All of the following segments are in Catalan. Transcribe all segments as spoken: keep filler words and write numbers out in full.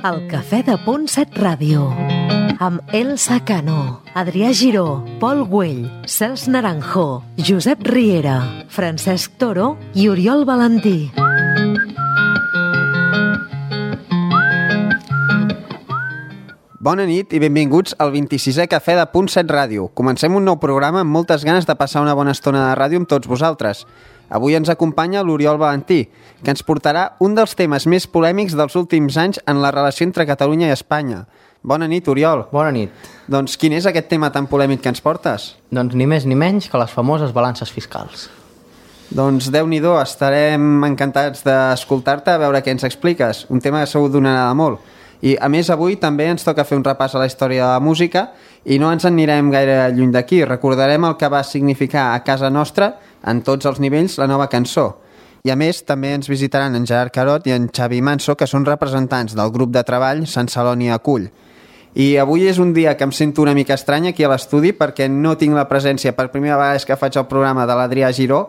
El Cafè de Punt set Ràdio, amb Elsa Cano, Adrià Giró, Pol Güell, Cels Naranjo, Josep Riera, Francesc Toro i Oriol Valentí. Bona nit i benvinguts al vint-i-sisè Cafè de Punt set Ràdio. Comencem un nou programa amb moltes ganes de passar una bona estona de ràdio amb tots vosaltres. Avui ens acompanya l'Oriol Valentí, que ens portarà un dels temes més polèmics dels últims anys en la relació entre Catalunya i Espanya. Bona nit, Oriol. Bona nit. Doncs quin és aquest tema tan polèmic que ens portes? Doncs ni més ni menys que les famoses balances fiscals. Doncs Déu-n'hi-do, estarem encantats d'escoltar-te, a veure què ens expliques. Un tema que segur donarà de molt. I a més avui també ens toca fer un repàs a la història de la música i no ens en anirem gaire lluny d'aquí. Recordarem el que va significar a casa nostra, en tots els nivells, la nova cançó. I a més també ens visitaran en Gerard Carot i en Xavi Manso, que són representants del grup de treball Sant Celoni Acull. I avui és un dia que em sento una mica estrany aquí a l'estudi perquè no tinc la presència per primera vegada que faig el programa de l'Adrià Giró,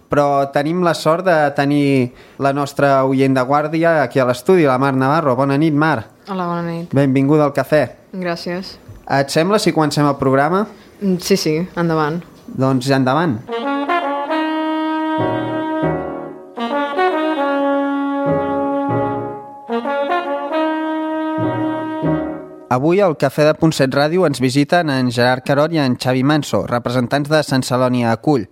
però tenim la sort de tenir la nostra oient de guàrdia aquí a l'estudi, la Mar Navarro. Bona nit, Mar. Hola, bona nit. Benvinguda al cafè. Gràcies. Et sembla si comencem el programa? Sí, sí, endavant. Doncs endavant. Avui al Cafè de Punt set Ràdio ens visiten en Gerard Carot i en Xavi Manso, representants de Sant Celoni Acull,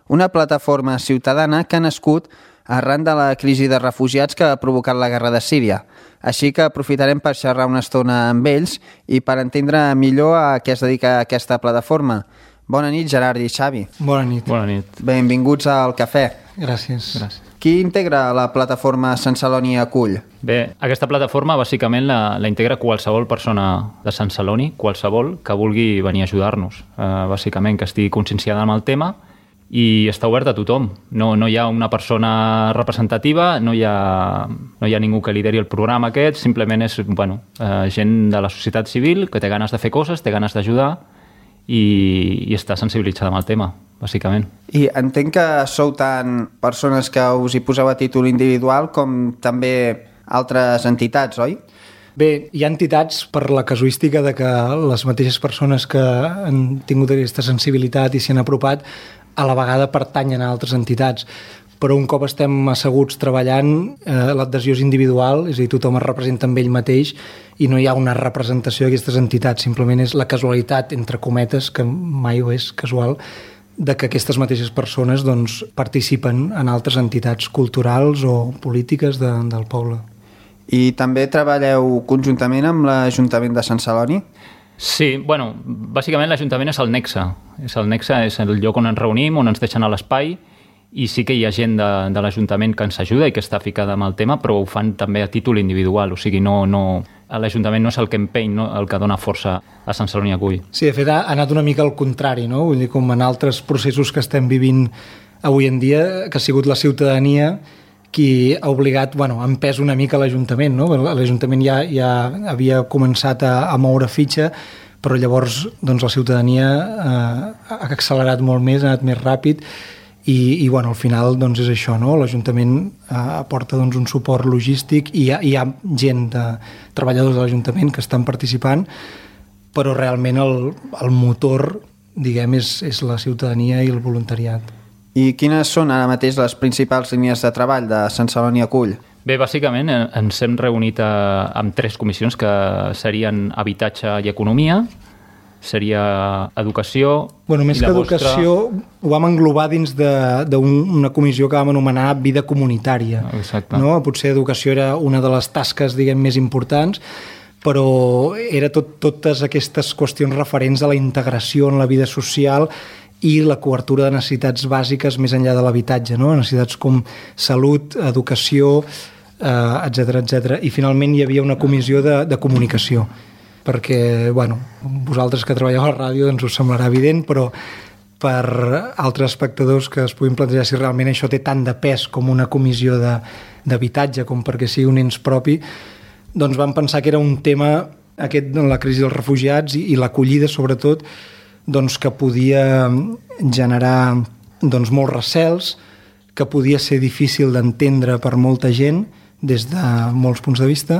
una plataforma ciutadana que ha nascut arran de la crisi de refugiats que ha provocat la guerra de Síria. Així que aprofitarem per xerrar una estona amb ells i per entendre millor a què es dedica aquesta plataforma. Bona nit, Gerard i Xavi. Bona nit. Bona nit. Benvinguts al cafè. Gràcies. Gràcies. Qui integra la plataforma Sant Celoni Acull? Bé, aquesta plataforma bàsicament la, la integra qualsevol persona de Sant Celoni, qualsevol que vulgui venir a ajudar-nos. Uh, bàsicament que estigui conscienciada amb el tema i està obert a tothom. No, no hi ha una persona representativa, no hi ha, no hi ha ningú que lideri el programa aquest, simplement és bueno, uh, gent de la societat civil que té ganes de fer coses, té ganes d'ajudar i, i està sensibilitzada amb el tema, bàsicament. I entenc que sou tant persones que us hi poseu a títol individual com també altres entitats, oi? Bé, hi ha entitats per la casuística de que les mateixes persones que han tingut aquesta sensibilitat i s'hi han apropat a la vegada pertanyen a altres entitats. Però un cop estem asseguts treballant, eh, l'adhesió és individual, és a dir, tothom es representa amb ell mateix i no hi ha una representació d'aquestes entitats, simplement és la casualitat, entre cometes, que mai ho és casual, de que aquestes mateixes persones doncs, participen en altres entitats culturals o polítiques de, del poble. I també treballeu conjuntament amb l'Ajuntament de Sant Celoni? Sí, bueno, bàsicament l'Ajuntament és el nexe. És el nexe, és el lloc on ens reunim, on ens deixen a l'espai, i sí que hi ha gent de, de l'Ajuntament que ens ajuda i que està ficada amb el tema, però ho fan també a títol individual, o sigui, no, no, l'Ajuntament no és el que empeny, no, el que dona força a Sant Celoni Acull. Sí, de fet ha anat una mica al contrari, no? Vull dir, com en altres processos que estem vivint avui en dia, que ha sigut la ciutadania qui ha obligat, bueno, ha empès una mica l'Ajuntament, no? L'Ajuntament ja, ja havia començat a, a moure fitxa, però llavors doncs, la ciutadania eh, ha accelerat molt més, ha anat més ràpid i, i bueno, al final doncs, és això, no? L'Ajuntament eh, aporta doncs, un suport logístic i hi ha, hi ha gent de treballadors de l'Ajuntament que estan participant, però realment el, el motor, diguem, és, és la ciutadania i el voluntariat. I quines són ara mateix les principals línies de treball de Sant Celoni Acull? Bé, bàsicament ens hem reunit a, amb tres comissions que serien habitatge i economia, seria educació... Bueno, més que vostra... educació ho vam englobar dins d'una comissió que vam anomenar vida comunitària. Exacte. No? Potser educació era una de les tasques, diguem, més importants, però era tot, totes aquestes qüestions referents a la integració en la vida social i la cobertura de necessitats bàsiques més enllà de l'habitatge, no? Necessitats com salut, educació, eh, etcètera, etcètera. I finalment hi havia una comissió de, de comunicació, perquè, bueno, vosaltres que treballeu a la ràdio doncs us semblarà evident, però per altres espectadors que es puguin plantejar si realment això té tant de pes com una comissió de, d'habitatge, com perquè sigui un ens propi, doncs vam pensar que era un tema, aquest, la crisi dels refugiats i, i l'acollida sobretot, doncs, que podia generar doncs, molts recels, que podia ser difícil d'entendre per molta gent des de molts punts de vista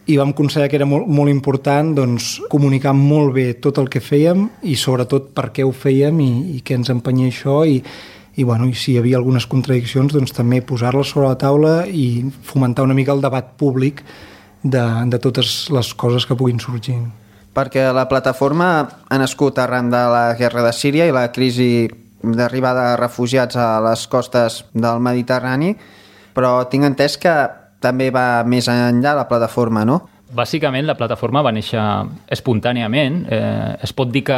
i vam considerar que era molt, molt important doncs, comunicar molt bé tot el que fèiem i sobretot per què ho fèiem i, i què ens empenyia això i, i, bueno, i si hi havia algunes contradiccions doncs, també posar-les sobre la taula i fomentar una mica el debat públic de, de totes les coses que puguin sorgir. Perquè la plataforma ha nascut arran de la guerra de Síria i la crisi d'arribada de refugiats a les costes del Mediterrani, però tinc entès que també va més enllà la plataforma, no? Bàsicament, la plataforma va néixer espontàniament. Eh, es pot dir que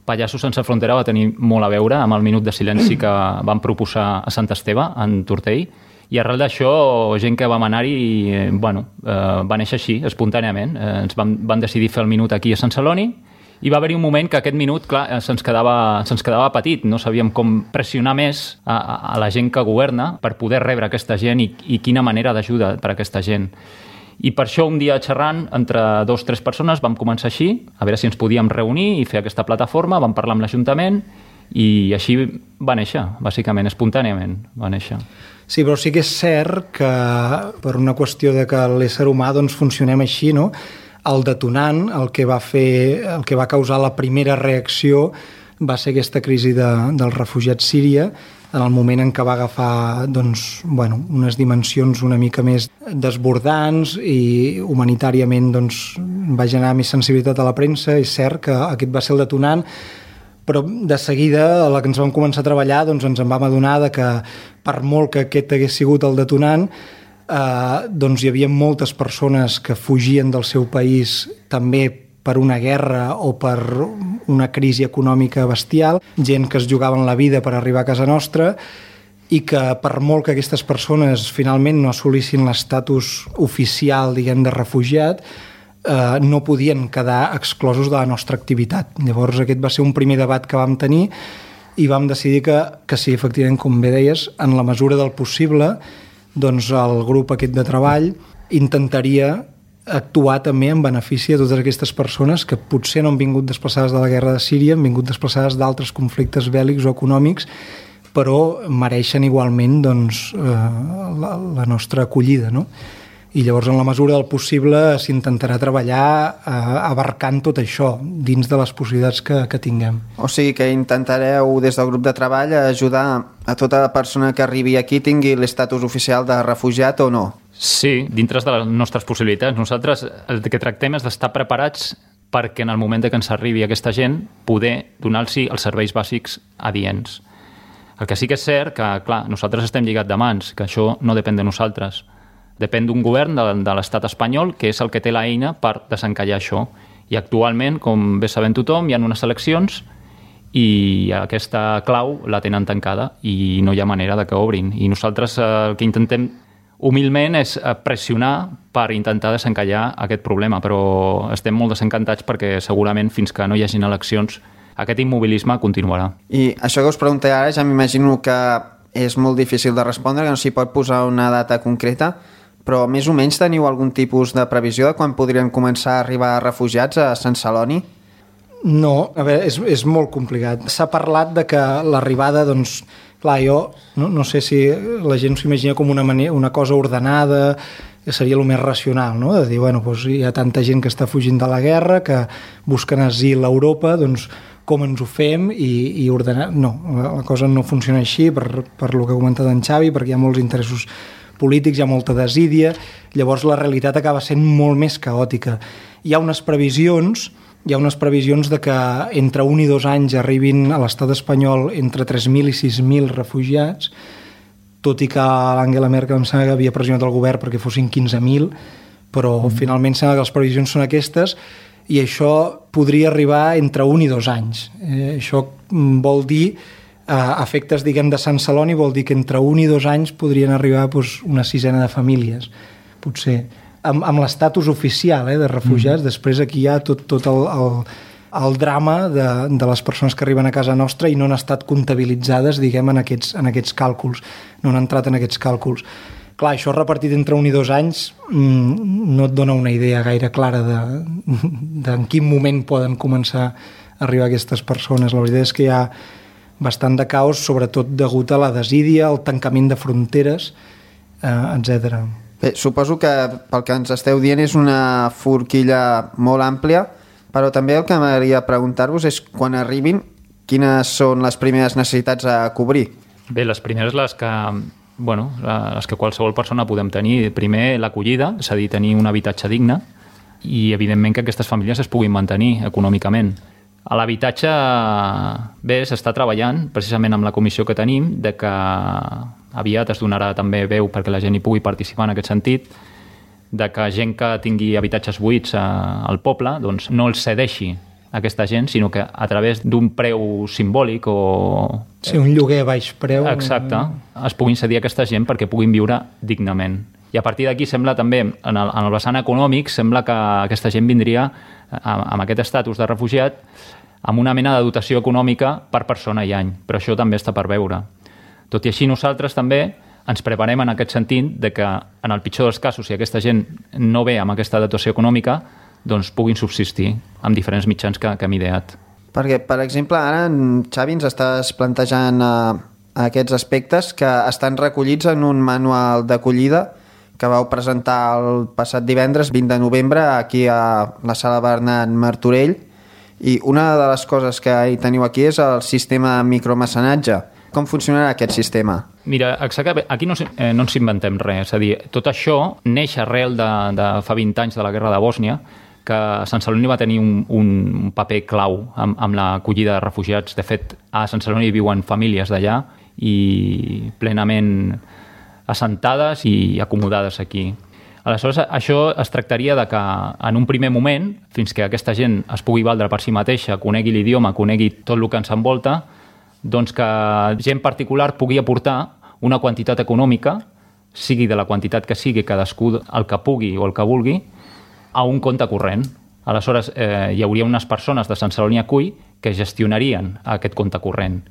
Pallassos Sense Frontera va tenir molt a veure amb el minut de silenci que van proposar a Sant Esteve, en Tortell, i arrel d'això, gent que vam anar-hi, eh, bueno, eh, va néixer així, espontàniament. Eh, ens van, van decidir fer el minut aquí a Sant Celoni, i va haver-hi un moment que aquest minut, clar, se'ns quedava, se'ns quedava petit, no sabíem com pressionar més a, a la gent que governa per poder rebre aquesta gent i, i quina manera d'ajuda per a aquesta gent. I per això un dia xerrant entre dos o tres persones vam començar així, a veure si ens podíem reunir i fer aquesta plataforma, vam parlar amb l'Ajuntament i així va néixer, bàsicament, espontàniament va néixer. Sí, però sí que és cert que per una qüestió de que l'ésser humà doncs, funcionem així, no? El detonant, el que va fer, el que va causar la primera reacció va ser aquesta crisi de, dels refugiats Síria, en el moment en què va agafar doncs, bueno, unes dimensions una mica més desbordants i humanitàriament doncs, va generar més sensibilitat a la premsa. És cert que aquest va ser el detonant, però de seguida, a la que ens vam començar a treballar, doncs ens en vam adonar de que per molt que aquest hagués sigut el detonant, Uh, doncs hi havia moltes persones que fugien del seu país també per una guerra o per una crisi econòmica bestial, gent que es jugaven la vida per arribar a casa nostra i que per molt que aquestes persones finalment no assolissin l'estatus oficial, diguem, de refugiat, uh, no podien quedar exclosos de la nostra activitat. Llavors aquest va ser un primer debat que vam tenir i vam decidir que, que sí, efectivament, com bé deies, en la mesura del possible doncs el grup aquest de treball intentaria actuar també en benefici de totes aquestes persones que potser no han vingut desplaçades de la guerra de Síria, han vingut desplaçades d'altres conflictes bèl·lics o econòmics, però mereixen igualment doncs, eh, la, la nostra acollida, no? I llavors, en la mesura del possible, s'intentarà treballar eh, abarcant tot això dins de les possibilitats que, que tinguem. O sigui que intentareu, des del grup de treball, ajudar a tota persona que arribi aquí tingui l'estatus oficial de refugiat o no? Sí, dintre de les nostres possibilitats. Nosaltres el que tractem és d'estar preparats perquè en el moment que ens arribi aquesta gent poder donar-los els serveis bàsics adients. El que sí que és cert que, clar, nosaltres estem lligats de mans, que això no depèn de nosaltres. Depèn d'un govern de, de l'estat espanyol que és el que té l'eina per desencallar això. I actualment, com bé sabem tothom, hi ha unes eleccions i aquesta clau la tenen tancada i no hi ha manera de que obrin. I nosaltres eh, el que intentem humilment és pressionar per intentar desencallar aquest problema, però estem molt desencantats perquè segurament fins que no hi hagin eleccions aquest immobilisme continuarà. I això que us pregunté ara ja m'imagino que és molt difícil de respondre, que no s'hi pot posar una data concreta, però més o menys teniu algun tipus de previsió de quan podrien començar a arribar refugiats a Sant Celoni? No, a veure, és, és molt complicat. S'ha parlat de que l'arribada, doncs, clar, jo no, no sé si la gent s'imagina com una, manera, una cosa ordenada, que seria el més racional, no? De dir, bueno, doncs hi ha tanta gent que està fugint de la guerra, que busquen asil a Europa, doncs com ens ho fem i, i ordenar... No, la cosa no funciona així per, per lo que ha comentat en Xavi, perquè hi ha molts interessos polítics, hi ha molta desídia, llavors la realitat acaba sent molt més caòtica. Hi ha unes previsions, hi ha unes previsions de que entre un i dos anys arribin a l'estat espanyol entre tres mil i sis mil refugiats, tot i que l'Angela Merkel em sembla que havia pressionat el govern perquè fossin quinze mil, però mm. finalment sembla que les previsions són aquestes i això podria arribar entre un i dos anys. Eh, això vol dir a efectes, diguem, de Sant Celoni, vol dir que entre un i dos anys podrien arribar doncs, una sisena de famílies, potser, amb, amb l'estatus oficial eh, de refugiats. Mm. Després aquí hi ha tot, tot el, el, el drama de, de les persones que arriben a casa nostra i no han estat comptabilitzades, diguem, en aquests, en aquests càlculs, no han entrat en aquests càlculs. Clar, això repartit entre un i dos anys no et dona una idea gaire clara de, de en quin moment poden començar a arribar aquestes persones. La veritat és que hi ha bastant de caos, sobretot degut a la desídia, al tancament de fronteres, eh, etcètera. Bé, suposo que pel que ens esteu dient és una forquilla molt àmplia, però també el que m'agradaria preguntar-vos és quan arribin, quines són les primeres necessitats a cobrir? Bé, les primeres les que, bueno, les que qualsevol persona podem tenir. Primer, l'acollida, és a dir, tenir un habitatge digne i, evidentment, que aquestes famílies es puguin mantenir econòmicament. A l'habitatge, bé, s'està treballant precisament amb la comissió que tenim, de que aviat es donarà també veu perquè la gent hi pugui participar en aquest sentit, de que gent que tingui habitatges buits al poble doncs no els cedeixi a aquesta gent, sinó que a través d'un preu simbòlic o... Sí, un lloguer a baix preu. Exacte, es puguin cedir a aquesta gent perquè puguin viure dignament. I a partir d'aquí sembla també, en el, en el vessant econòmic, sembla que aquesta gent vindria amb aquest estatus de refugiat amb una mena de dotació econòmica per persona i any, però això també està per veure. Tot i així, nosaltres també ens preparem en aquest sentit de que, en el pitjor dels casos, si aquesta gent no ve amb aquesta dotació econòmica, doncs puguin subsistir amb diferents mitjans que, que hem ideat. Perquè, per exemple, ara en Xavi ens estàs plantejant eh, aquests aspectes que estan recollits en un manual d'acollida que vau presentar el passat divendres vint de novembre aquí a la Sala Bernat Martorell, i una de les coses que hi teniu aquí és el sistema de micromecenatge. Com funcionarà aquest sistema? Mira, exacte, aquí no, eh, no ens inventem res. És a dir, tot això neix arrel de, de fa vint anys de la guerra de Bòsnia, que Sant Celoni va tenir un, un paper clau amb, amb l'acollida de refugiats. De fet, a Sant Celoni viuen famílies d'allà i plenament assentades i acomodades aquí. Aleshores, això es tractaria de que en un primer moment, fins que aquesta gent es pugui valdre per si mateixa, conegui l'idioma, conegui tot el que ens envolta, doncs que gent particular pugui aportar una quantitat econòmica, sigui de la quantitat que sigui, cadascú el que pugui o el que vulgui, a un compte corrent. Aleshores, eh, hi hauria unes persones de Sant Celoni Acull que gestionarien aquest compte corrent.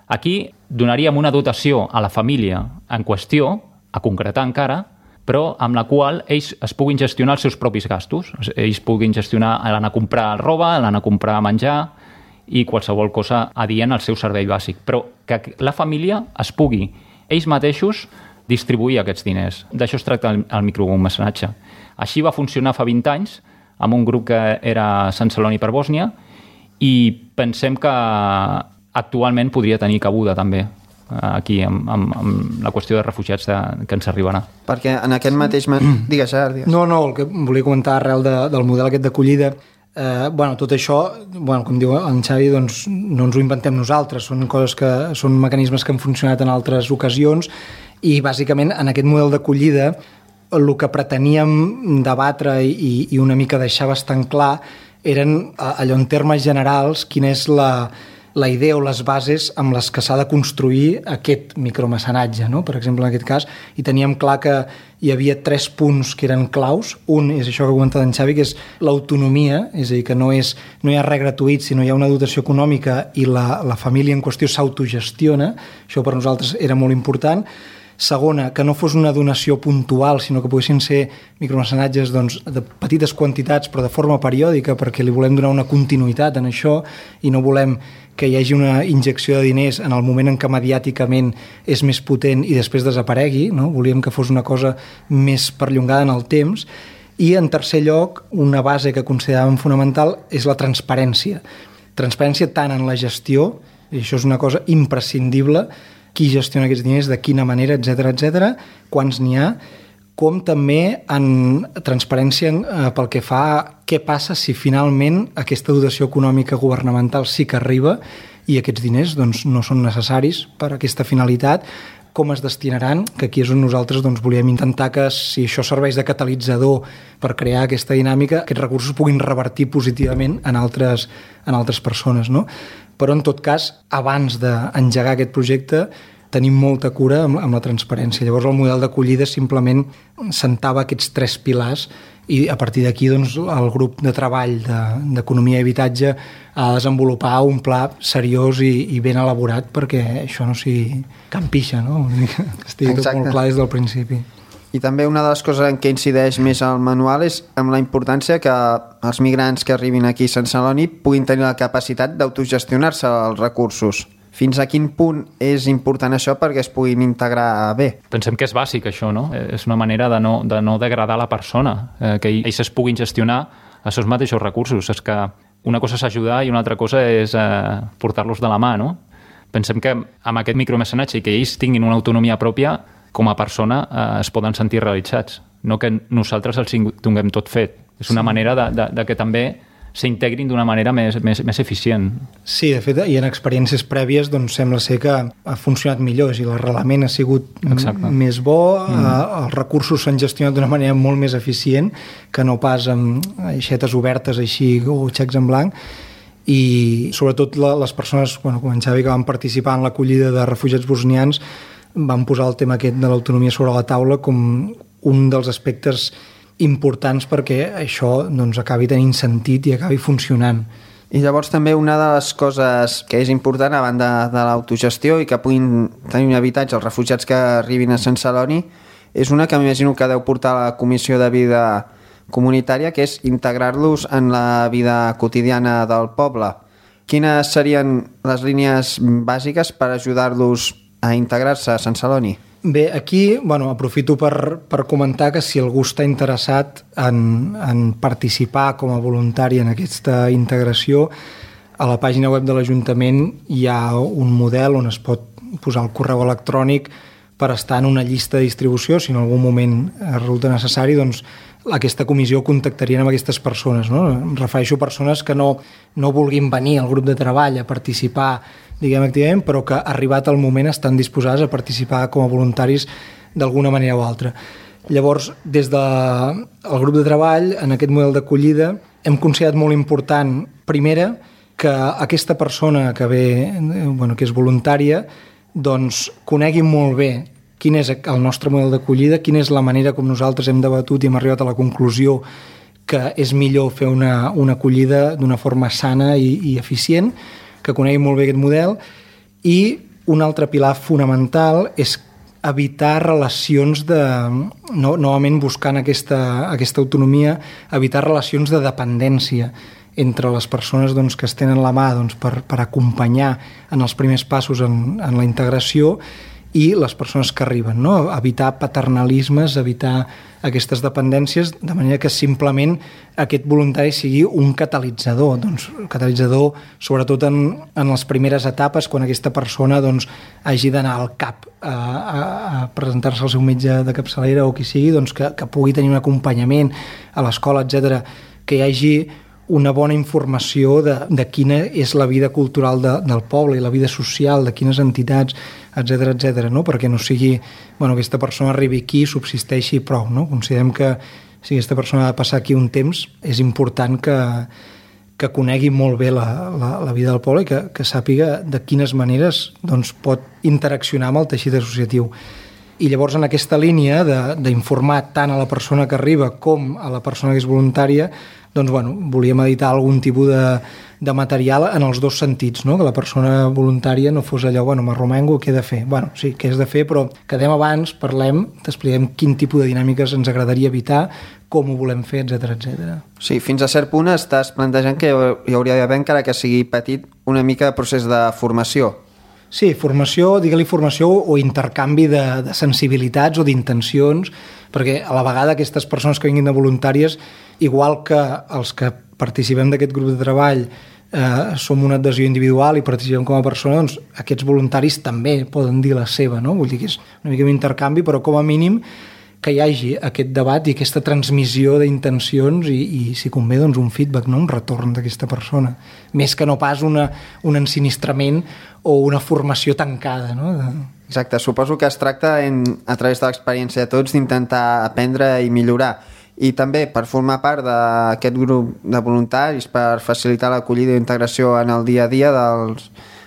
Aquí donaríem una dotació a la família en qüestió, a concretar encara, però amb la qual ells es puguin gestionar els seus propis gastos. Ells puguin gestionar l'anar a comprar roba, l'anar a comprar menjar i qualsevol cosa adient al seu servei bàsic. Però que la família es pugui ells mateixos distribuir aquests diners. D'això es tracta el, el micromecenatge. Així va funcionar fa vint anys amb un grup que era Sant Celoni per Bòsnia i pensem que actualment podria tenir cabuda també aquí amb, amb, amb la qüestió de refugiats de, que ens arribarà. Perquè en aquest mateix... Digues, Gerard, digues. No, no, el que volia comentar arrel de, del model aquest d'acollida, eh, bueno, tot això, bueno, com diu en Xavi, doncs no ens ho inventem nosaltres, són coses que són mecanismes que han funcionat en altres ocasions i bàsicament en aquest model d'acollida el que preteníem debatre i, i una mica deixar bastant clar eren allò en termes generals quina és la la idea o les bases amb les que s'ha de construir aquest micromecenatge, no? Per exemple, en aquest cas, i teníem clar que hi havia tres punts que eren claus. Un és això que ha comentat en Xavi, que és l'autonomia, és a dir, que no, és, no hi ha res gratuït, sinó hi ha una dotació econòmica i la, la família en qüestió s'autogestiona. Això per nosaltres era molt important. Segona, que no fos una donació puntual, sinó que poguessin ser micromecenatges doncs, de petites quantitats però de forma periòdica, perquè li volem donar una continuïtat en això i no volem que hi hagi una injecció de diners en el moment en què mediàticament és més potent i després desaparegui, no? Volíem que fos una cosa més perllongada en el temps. I en tercer lloc, una base que consideràvem fonamental és la transparència. Transparència tant en la gestió, i això és una cosa imprescindible, qui gestiona aquests diners, de quina manera, etcètera, etcètera, quants n'hi ha, com també en transparència eh, pel que fa a què passa si finalment aquesta dotació econòmica governamental sí que arriba i aquests diners doncs, no són necessaris per a aquesta finalitat, com es destinaran, que aquí és on nosaltres doncs, volíem intentar que si això serveix de catalitzador per crear aquesta dinàmica, aquests recursos puguin revertir positivament en altres, en altres persones, no? Però en tot cas, abans d'engegar aquest projecte, tenim molta cura amb, amb la transparència. Llavors el model d'acollida simplement sentava aquests tres pilars i a partir d'aquí doncs, el grup de treball d'economia i habitatge ha de desenvolupar un pla seriós i, i ben elaborat perquè això no sigui campixa, no? Que estigui tot molt clar des del principi. I també una de les coses en què incideix més el manual és amb la importància que els migrants que arribin aquí a Sant Celoni puguin tenir la capacitat d'autogestionar-se els recursos. Fins a quin punt és important això perquè es puguin integrar bé? Pensem que és bàsic això, no? És una manera de no, de no degradar la persona, eh, que ells es puguin gestionar els seus mateixos recursos. És que una cosa és ajudar i una altra cosa és eh, portar-los de la mà, no? Pensem que amb aquest micromecenatge i que ells tinguin una autonomia pròpia, com a persona eh, es poden sentir realitzats, no que nosaltres els donem tot fet. És una manera de, de, de que també s'integrin d'una manera més, més, més eficient. Sí, de fet, i en experiències prèvies doncs, sembla ser que ha funcionat millor, és a dir, l'arrelament ha sigut Exacte. més bo, mm. eh, els recursos s'han gestionat d'una manera molt més eficient que no pas amb aixetes obertes així o xecs en blanc, i sobretot la, les persones, bueno, com en Xavi, que van participar en l'acollida de refugiats bosnians van posar el tema aquest de l'autonomia sobre la taula com un dels aspectes importants perquè això doncs, acabi tenint sentit i acabi funcionant. I llavors també una de les coses que és important a banda de l'autogestió i que puguin tenir un habitatge els refugiats que arribin a Sant Celoni és una que m'imagino que deu portar la Comissió de Vida Comunitària, que és integrar-los en la vida quotidiana del poble. Quines serien les línies bàsiques per ajudar-los a integrar-se a Sant Celoni? Bé, aquí bueno, aprofito per, per comentar que si algú està interessat en, en participar com a voluntari en aquesta integració, a la pàgina web de l'Ajuntament hi ha un model on es pot posar el correu electrònic per estar en una llista de distribució. Si en algun moment resulta necessari, doncs aquesta comissió contactaria amb aquestes persones. No? Em refereixo a persones que no, no vulguin venir al grup de treball a participar diguem activament, però que arribat el moment estan disposats a participar com a voluntaris d'alguna manera o altra. Llavors, des del grup de treball, en aquest model d'acollida, hem considerat molt important, primera, que aquesta persona que ve, bueno, que és voluntària, doncs conegui molt bé quin és el nostre model d'acollida, quina és la manera com nosaltres hem debatut i hem arribat a la conclusió que és millor fer una, una acollida d'una forma sana i, i eficient, que conegui molt bé aquest model, i un altre pilar fonamental és evitar relacions de, no, novament buscant aquesta, aquesta autonomia, evitar relacions de dependència entre les persones doncs, que es tenen la mà doncs, per, per acompanyar en els primers passos en, en la integració i les persones que arriben, no? Evitar paternalismes, evitar aquestes dependències, de manera que simplement aquest voluntari sigui un catalitzador, doncs, catalitzador sobretot en, en les primeres etapes, quan aquesta persona doncs, hagi d'anar al cap a, a, a presentar-se al seu metge de capçalera o qui sigui, doncs, que, que pugui tenir un acompanyament a l'escola, etcètera, que hi hagi una bona informació de, de quina és la vida cultural de, del poble i la vida social, de quines entitats, etcètera, etcètera, no? Perquè no sigui, bueno, aquesta persona arribi aquí, subsisteixi i prou, no? Considerem que si aquesta persona ha de passar aquí un temps, és important que, que conegui molt bé la, la, la vida del poble i que, que sàpiga de quines maneres doncs, pot interaccionar amb el teixit associatiu. I llavors en aquesta línia d'informar tant a la persona que arriba com a la persona que és voluntària, doncs bueno, volíem editar algun tipus de, de material en els dos sentits, no? Que la persona voluntària no fos allò, bueno, m'arromango, què he de fer? Bueno, sí, què has de fer, però quedem abans, parlem, t'expliquem quin tipus de dinàmiques ens agradaria evitar, com ho volem fer, etcètera, etcètera. Sí, fins a cert punt estàs plantejant que hi hauria d'haver, encara que sigui petit, una mica de procés de formació. Sí, formació, digue-li formació o intercanvi de, de sensibilitats o d'intencions, perquè a la vegada aquestes persones que vinguin de voluntàries, igual que els que participem d'aquest grup de treball eh, som una adhesió individual i participem com a persona, doncs aquests voluntaris també poden dir la seva, no? Vull dir que és una mica un intercanvi, però com a mínim que hi hagi aquest debat i aquesta transmissió d'intencions i, i si convé, doncs un feedback, no? Un retorn d'aquesta persona. Més que no pas una, un ensinistrament o una formació tancada, no? De... Exacte, suposo que es tracta en, a través de l'experiència de tots d'intentar aprendre i millorar. I també per formar part d'aquest grup de voluntaris, per facilitar l'acollida i integració en el dia a dia dels,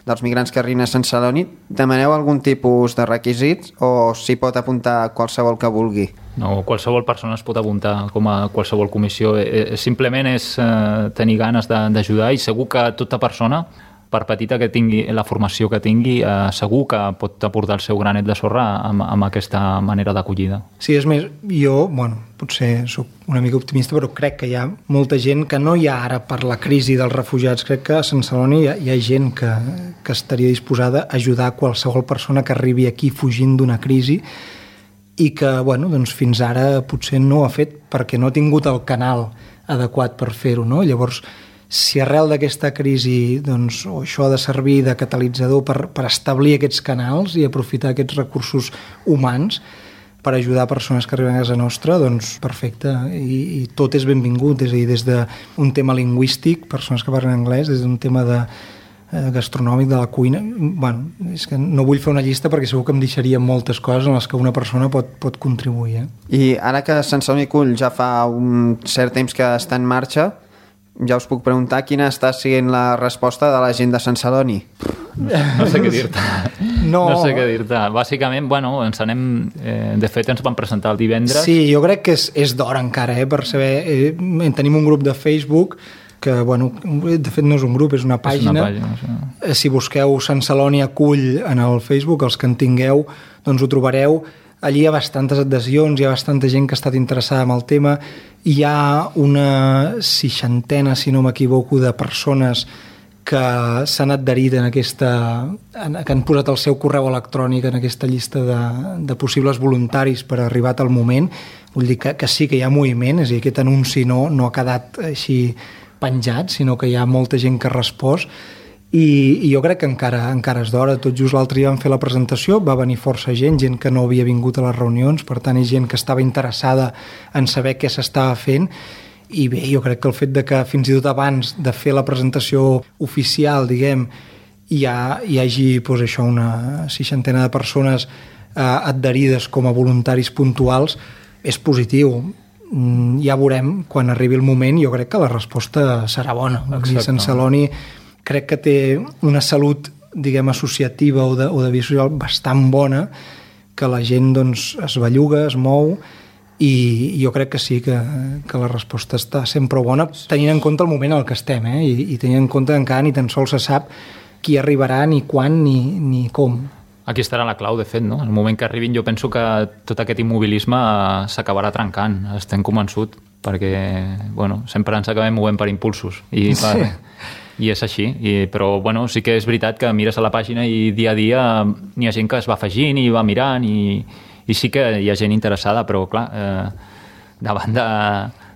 dels migrants que arriben a Sant Celoni, demaneu algun tipus de requisits o s'hi pot apuntar qualsevol que vulgui? No, qualsevol persona es pot apuntar com a qualsevol comissió. Eh, simplement és eh, tenir ganes d'ajudar i segur que tota persona per petita que tingui, la formació que tingui, eh, segur que pot aportar el seu granet de sorra amb, amb aquesta manera d'acollida. Sí, és més, jo, bueno, potser sóc una mica optimista, però crec que hi ha molta gent que no hi ha ara per la crisi dels refugiats. Crec que a Sant Celoni hi ha, hi ha gent que, que estaria disposada a ajudar qualsevol persona que arribi aquí fugint d'una crisi i que, bueno, doncs fins ara potser no ho ha fet perquè no ha tingut el canal adequat per fer-ho, no? Llavors, si arrel d'aquesta crisi doncs, això ha de servir de catalitzador per, per establir aquests canals i aprofitar aquests recursos humans per ajudar persones que arriben a casa nostra, doncs perfecte, i, i tot és benvingut, és a dir, des d'un tema lingüístic, persones que parlen anglès, des d'un tema de eh, gastronòmic, de la cuina. Bueno, és que no vull fer una llista perquè segur que em deixaria moltes coses en les que una persona pot, pot contribuir. Eh? I ara que Sant Celoni Cull ja fa un cert temps que està en marxa, ja us puc preguntar quina està sent la resposta de la gent de Sant Celoni. No sé què dir-te. No. no sé què dir-te. Bàsicament, bueno, ens anem... Eh, de fet, ens van presentar el divendres. Sí, jo crec que és, és d'hora encara, eh, per saber... Eh, tenim un grup de Facebook que, bueno, de fet no és un grup, és una pàgina. És una pàgina, sí. Si busqueu Sant Celoni Acull en el Facebook, els que en tingueu, doncs ho trobareu. Allí hi ha bastantes adhesions, hi ha bastanta gent que ha estat interessada en el tema. Hi ha una seixantena, si no m'equivoco, de persones que s'han adherit en aquesta... que han posat el seu correu electrònic en aquesta llista de, de possibles voluntaris per arribat al moment. Vull dir que, que sí que hi ha moviment, és a dir, aquest anunci no, no ha quedat així penjat, sinó que hi ha molta gent que ha respost. I, i jo crec que encara, encara és d'hora. Tot just l'altre dia vam fer la presentació, va venir força gent, gent que no havia vingut a les reunions, per tant, és gent que estava interessada en saber què s'estava fent. I bé, jo crec que el fet de que fins i tot abans de fer la presentació oficial, diguem, hi, ha, hi hagi doncs, això, una seixantena de persones eh, adherides com a voluntaris puntuals, és positiu. Mm, ja veurem, quan arribi el moment, jo crec que la resposta serà bona. Dir, Sant Celoni crec que té una salut, diguem, associativa o de, o de vida social bastant bona, que la gent doncs, es belluga, es mou, i jo crec que sí, que, que la resposta està sent prou bona, tenint en compte el moment en el que estem, eh? I, i tenint en compte que encara ni tan sols se sap qui arribarà, ni quan, ni, ni com. Aquí estarà la clau, de fet, no? En el moment que arribin jo penso que tot aquest immobilisme s'acabarà trencant, estem convençut, perquè, bueno, sempre ens acabem movent per impulsos, i, per, sí. i és així, I, però, bueno, sí que és veritat que mires a la pàgina i dia a dia n'hi ha gent que es va afegint i va mirant, i i sí que hi ha gent interessada, però clar, eh, davant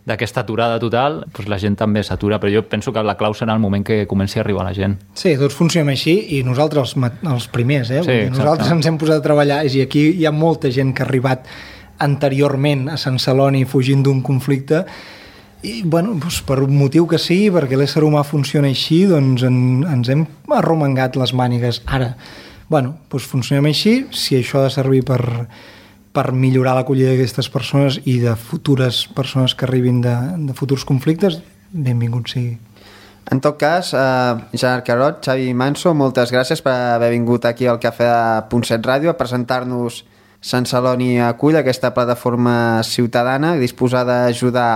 d'aquesta aturada total, doncs la gent també s'atura, però jo penso que la clau serà el moment que comenci a arribar la gent. Sí, tots funcionem així i nosaltres els, els primers, eh? Sí, nosaltres ens hem posat a treballar i aquí hi ha molta gent que ha arribat anteriorment a Sant Celoni fugint d'un conflicte i, bueno, doncs per un motiu que sigui, perquè l'ésser humà funciona així, doncs en, ens hem arromangat les mànigues. Ara, bueno, doncs funcionem així, si això ha de servir per... per millorar l'acollida d'aquestes persones i de futures persones que arribin de, de futurs conflictes, benvingut sigui. En tot cas, eh, Gerard Carot, Xavi Manso, moltes gràcies per haver vingut aquí al Cafè de Punt set Ràdio a presentar-nos Sant Celoni Acull, aquesta plataforma ciutadana disposada a ajudar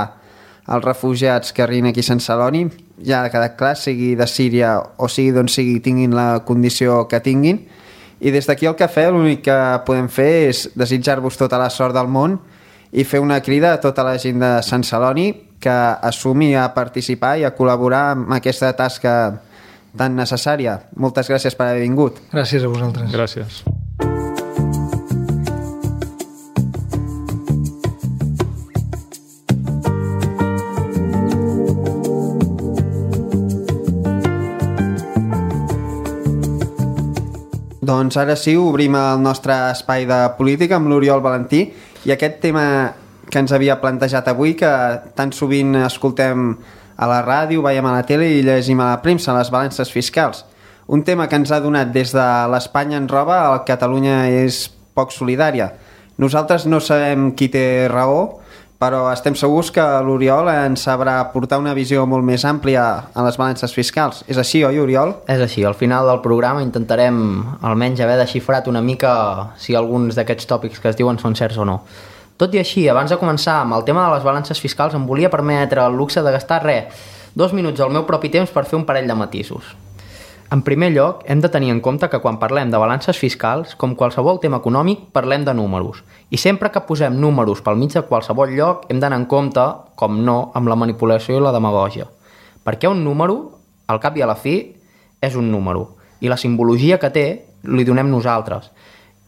els refugiats que arribin aquí a Sant Celoni. Ja ha quedat clar, sigui de Síria o sigui d'on sigui, tinguin la condició que tinguin. I des d'aquí al cafè l'únic que podem fer és desitjar-vos tota la sort del món i fer una crida a tota la gent de Sant Celoni que assumi a participar i a col·laborar amb aquesta tasca tan necessària. Moltes gràcies per haver vingut. Gràcies a vosaltres. Gràcies. Doncs ara sí, obrim el nostre espai de política amb l'Oriol Valentí i aquest tema que ens havia plantejat avui, que tan sovint escoltem a la ràdio, veiem a la tele i llegim a la premsa, les balances fiscals. Un tema que ens ha donat des de l'Espanya en roba a Catalunya és poc solidària. Nosaltres no sabem qui té raó, però estem segurs que l'Oriol ens sabrà portar una visió molt més àmplia a les balances fiscals. És així, oi, Oriol? És així. Al final del programa intentarem almenys haver desxifrat una mica si alguns d'aquests tòpics que es diuen són certs o no. Tot i així, abans de començar amb el tema de les balances fiscals, em volia permetre el luxe de gastar res, dos minuts del meu propi temps per fer un parell de matisos. En primer lloc, hem de tenir en compte que quan parlem de balances fiscals, com qualsevol tema econòmic, parlem de números. I sempre que posem números pel mig de qualsevol lloc, hem d'anar en compte, com no, amb la manipulació i la demagògia. Perquè un número, al cap i a la fi, és un número. I la simbologia que té li donem nosaltres.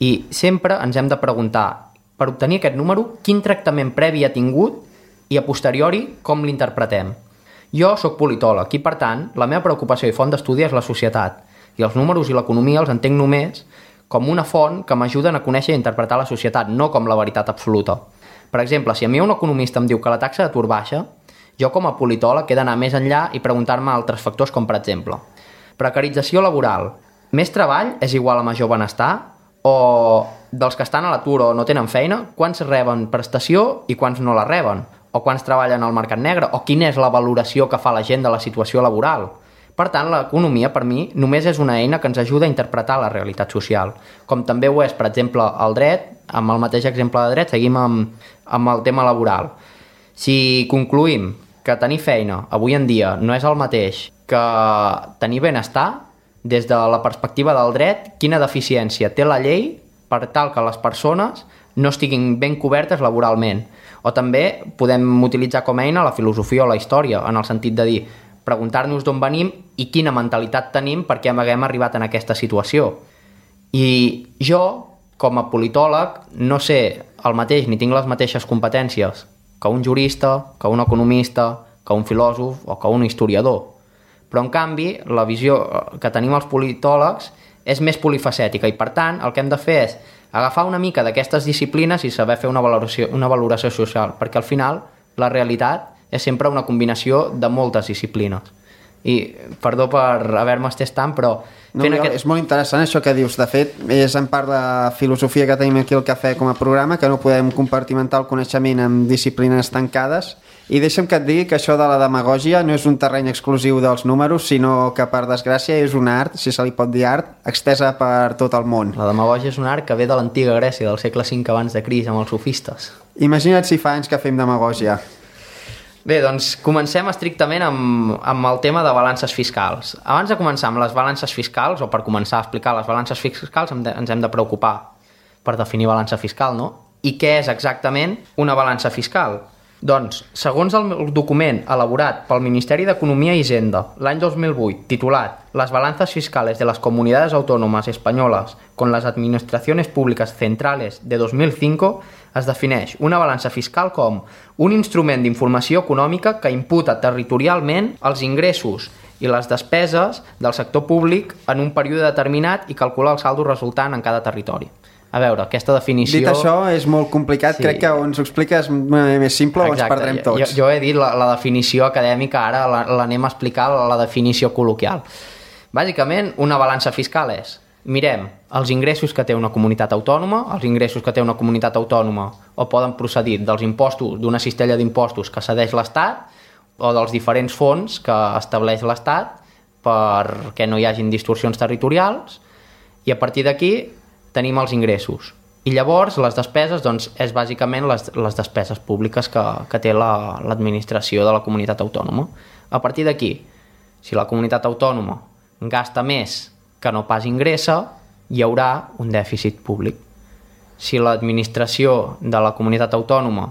I sempre ens hem de preguntar, per obtenir aquest número, quin tractament previ ha tingut i a posteriori com l'interpretem. Jo sóc politòleg i, per tant, la meva preocupació i font d'estudi és la societat, i els números i l'economia els entenc només com una font que m'ajuden a conèixer i interpretar la societat, no com la veritat absoluta. Per exemple, si a mi un economista em diu que la taxa d'atur baixa, jo com a politòleg he d'anar més enllà i preguntar-me altres factors com, per exemple, precarització laboral. Més treball és igual a major benestar? O dels que estan a l'atur o no tenen feina, quants reben prestació i quants no la reben? O quants treballen al mercat negre, o quina és la valoració que fa la gent de la situació laboral. Per tant, l'economia, per mi, només és una eina que ens ajuda a interpretar la realitat social. Com també ho és, per exemple, el dret, amb el mateix exemple de dret, seguim amb, amb el tema laboral. Si concluïm que tenir feina avui en dia no és el mateix que tenir benestar, des de la perspectiva del dret, quina deficiència té la llei per tal que les persones no estiguin ben cobertes laboralment. O també podem utilitzar com a eina la filosofia o la història, en el sentit de dir, preguntar-nos d'on venim i quina mentalitat tenim perquè haguem arribat en aquesta situació. I jo, com a politòleg, no sé el mateix ni tinc les mateixes competències que un jurista, que un economista, que un filòsof o que un historiador. Però, en canvi, la visió que tenim els politòlegs és més polifacètica i, per tant, el que hem de fer és agafar una mica d'aquestes disciplines i saber fer una valoració, una valoració social, perquè al final la realitat és sempre una combinació de moltes disciplines. I, perdó per haver-me estès tant, però... No, aquest... És molt interessant això que dius. De fet, és en part la filosofia que tenim aquí al Cafè com a programa, que no podem compartimentar el coneixement en disciplines tancades. I deixa'm que et digui que això de la demagògia no és un terreny exclusiu dels números, sinó que, per desgràcia, és un art, si se li pot dir art, extesa per tot el món. La demagògia és un art que ve de l'antiga Grècia, del segle cinc abans de Crist, amb els sofistes. Imagina't si fa anys que fem demagògia. Bé, doncs comencem estrictament amb, amb el tema de balances fiscals. Abans de començar amb les balances fiscals, o per començar a explicar les balances fiscals, hem de, ens hem de preocupar per definir balança fiscal, no? I què és exactament una balança fiscal? Doncs, segons el document elaborat pel Ministeri d'Economia i Hisenda l'any dos mil vuit, titulat «Las balanzas fiscales de las comunidades autónomas españolas con las administraciones públicas centrales de dos mil cinco», es defineix una balança fiscal com un instrument d'informació econòmica que imputa territorialment els ingressos i les despeses del sector públic en un període determinat i calcula el saldo resultant en cada territori. A veure, aquesta definició... Dit això, és molt complicat. Sí. Crec que o ens ho expliques més simple o ens perdrem tots. Jo, jo he dit la, la definició acadèmica, ara l'anem a explicar la definició col·loquial. Bàsicament, una balança fiscal és, mirem els ingressos que té una comunitat autònoma, els ingressos que té una comunitat autònoma o poden procedir dels impostos, d'una cistella d'impostos que cedeix l'Estat o dels diferents fons que estableix l'Estat perquè no hi hagin distorsions territorials, i a partir d'aquí tenim els ingressos. I llavors les despeses, doncs, és bàsicament les, les despeses públiques que, que té la, l'administració de la comunitat autònoma. A partir d'aquí, si la comunitat autònoma gasta més que no pas ingressa, hi haurà un dèficit públic. Si l'administració de la comunitat autònoma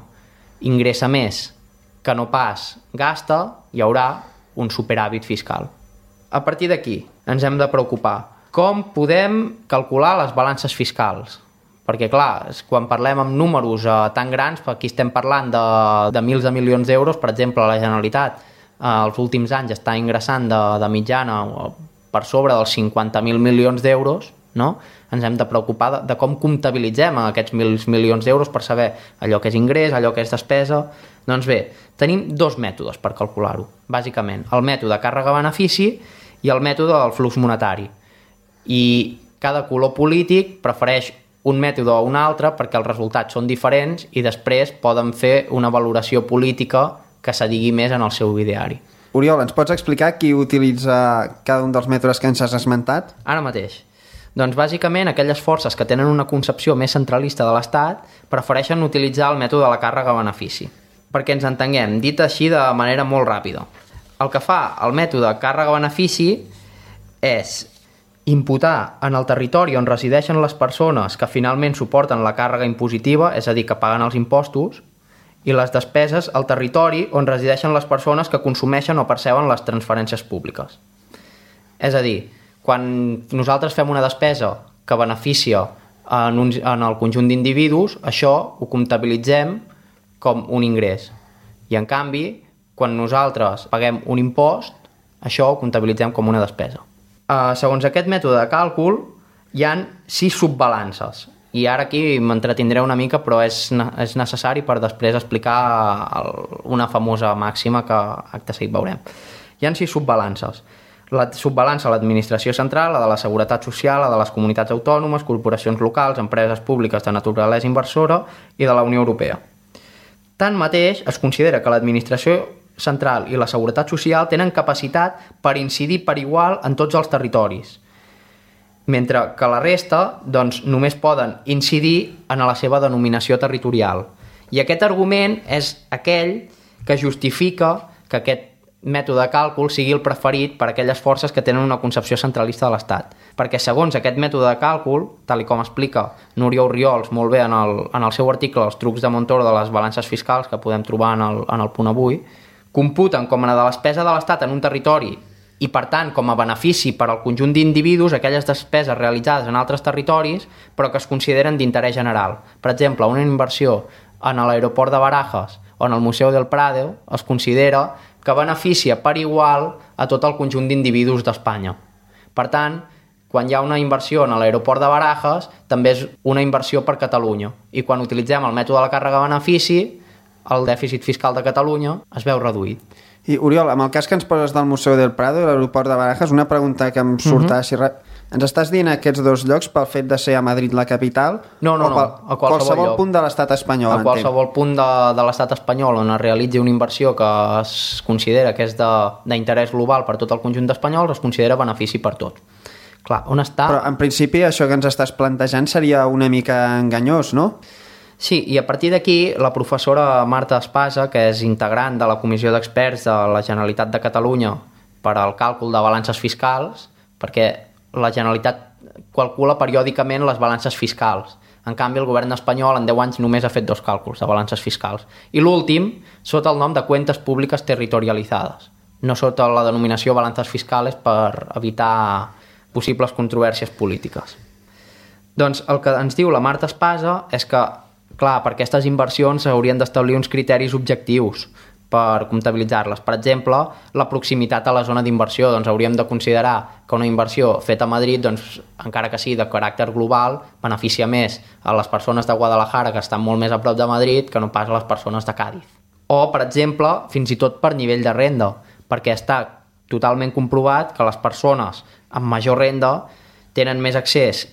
ingressa més que no pas gasta, hi haurà un superàvit fiscal. A partir d'aquí ens hem de preocupar com podem calcular les balances fiscals. Perquè, clar, quan parlem amb números eh, tan grans, aquí estem parlant de, de mils de milions d'euros, per exemple, la Generalitat eh, els últims anys està ingressant de, de mitjana per sobre dels cinquanta mil milions d'euros, no? Ens hem de preocupar de, de com comptabilitzem aquests mil milions d'euros per saber allò que és ingrés, allò que és despesa. Doncs bé, tenim dos mètodes per calcular-ho, bàsicament. El mètode càrrega-benefici i el mètode del flux monetari. I cada color polític prefereix un mètode o un altre perquè els resultats són diferents i després poden fer una valoració política que s'adigui més en el seu ideari. Oriol, ens pots explicar qui utilitza cada un dels mètodes que ens has esmentat? Ara mateix. Doncs bàsicament aquelles forces que tenen una concepció més centralista de l'Estat prefereixen utilitzar el mètode de la càrrega-benefici. Perquè ens entenguem, dit així de manera molt ràpida. El que fa el mètode càrrega-benefici és imputar en el territori on resideixen les persones que finalment suporten la càrrega impositiva, és a dir, que paguen els impostos, i les despeses al territori on resideixen les persones que consumeixen o perceben les transferències públiques. És a dir, quan nosaltres fem una despesa que beneficia en, un, en el conjunt d'individus, això ho comptabilitzem com un ingrés. I en canvi, quan nosaltres paguem un impost, això ho comptabilitzem com una despesa. Uh, segons aquest mètode de càlcul, hi han sis subbalances. I ara aquí m'entretindré una mica, però és, és necessari per després explicar el, una famosa màxima que acte seguit veurem. Hi han sis subbalances. La subbalança a l'administració central, la de la seguretat social, la de les comunitats autònomes, corporacions locals, empreses públiques de naturalesa inversora i de la Unió Europea. Tanmateix, es considera que l'administració central i la seguretat social tenen capacitat per incidir per igual en tots els territoris, mentre que la resta doncs, només poden incidir en la seva denominació territorial. I aquest argument és aquell que justifica que aquest mètode de càlcul sigui el preferit per a aquelles forces que tenen una concepció centralista de l'Estat. Perquè segons aquest mètode de càlcul, tal com explica Núria Orriols molt bé en el, en el seu article Els trucs de Montoro de les balances fiscals, que podem trobar en el, en el punt avui, computen com a de despesa de l'Estat en un territori i, per tant, com a benefici per al conjunt d'individus aquelles despeses realitzades en altres territoris però que es consideren d'interès general. Per exemple, una inversió en l'aeroport de Barajas o en el Museu del Prado es considera que beneficia per igual a tot el conjunt d'individus d'Espanya. Per tant, quan hi ha una inversió en l'aeroport de Barajas, també és una inversió per Catalunya. I quan utilitzem el mètode de la càrrega-benefici, el dèficit fiscal de Catalunya es veu reduït. I, Oriol, amb el cas que ens poses del Museu del Prado i l'aeroport de Barajas, una pregunta que em surt uh-huh. així... Ens estàs dient aquests dos llocs pel fet de ser a Madrid la capital? No, no, o pel, no. A qualsevol, qualsevol lloc. punt de l'estat espanyol, A qualsevol entenc. punt de, de l'estat espanyol on es realitzi una inversió que es considera que és d'interès global per tot el conjunt d'espanyols, es considera benefici per tot. Clar, on està... Però en principi això que ens estàs plantejant seria una mica enganyós, no? Sí, i a partir d'aquí la professora Marta Espasa, que és integrant de la Comissió d'Experts de la Generalitat de Catalunya per al càlcul de balances fiscals, perquè la Generalitat calcula periòdicament les balances fiscals. En canvi, el govern espanyol en deu anys només ha fet dos càlculs de balances fiscals. I l'últim, sota el nom de cuentas públiques territorialitzades, no sota la denominació balances fiscals per evitar possibles controvèrsies polítiques. Doncs el que ens diu la Marta Espasa és que, clar, per aquestes inversions s'haurien d'establir uns criteris objectius per comptabilitzar-les. Per exemple, la proximitat a la zona d'inversió. Doncs hauríem de considerar que una inversió feta a Madrid, doncs, encara que sigui de caràcter global, beneficia més a les persones de Guadalajara, que estan molt més a prop de Madrid, que no pas a les persones de Càdiz. O, per exemple, fins i tot per nivell de renda, perquè està totalment comprovat que les persones amb major renda tenen més accés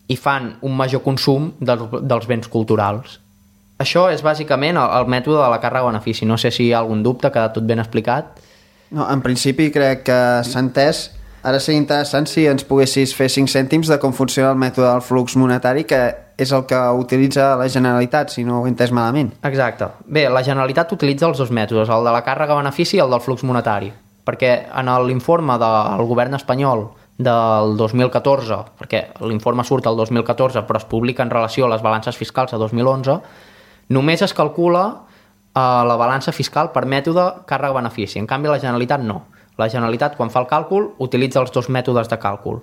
i fan un major consum dels, dels béns culturals. Això és bàsicament el, el mètode de la càrrega-benefici. No sé si hi ha algun dubte, ha quedat tot ben explicat. No, en principi crec que s'ha entès. Ara seria interessant si ens poguessis fer cinc cèntims de com funciona el mètode del flux monetari, que és el que utilitza la Generalitat, si no ho he entès malament. Exacte. Bé, la Generalitat utilitza els dos mètodes, el de la càrrega-benefici i el del flux monetari, perquè en l'informe del govern espanyol del dos mil catorze, perquè l'informe surt el dos mil catorze però es publica en relació a les balances fiscals a dos mil onze, només es calcula eh, la balança fiscal per mètode càrrega-benefici. En canvi, la Generalitat no. La Generalitat, quan fa el càlcul, utilitza els dos mètodes de càlcul.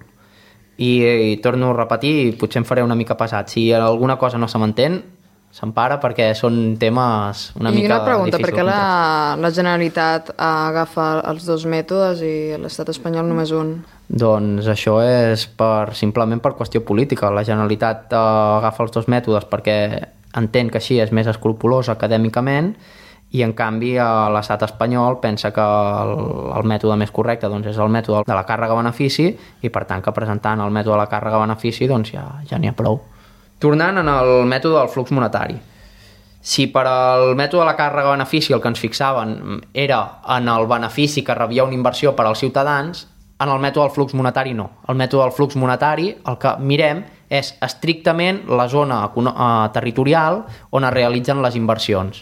I, i torno a repetir, potser em faré una mica pesat. Si alguna cosa no se m'entén, s'empara perquè són temes una I mica difícils. I una pregunta, per què la, la Generalitat agafa els dos mètodes i l'estat espanyol només un? Doncs això és per, simplement per qüestió política. La Generalitat eh, agafa els dos mètodes perquè entén que així és més escrupolós acadèmicament i en canvi l'estat espanyol pensa que el, el mètode més correcte doncs, és el mètode de la càrrega-benefici i per tant que presentant el mètode de la càrrega-benefici doncs ja, ja n'hi ha prou. Tornant en el mètode del flux monetari. Si per al mètode de la càrrega-benefici el que ens fixaven era en el benefici que rebia una inversió per als ciutadans, en el mètode del flux monetari no. El mètode del flux monetari el que mirem és estrictament la zona territorial on es realitzen les inversions.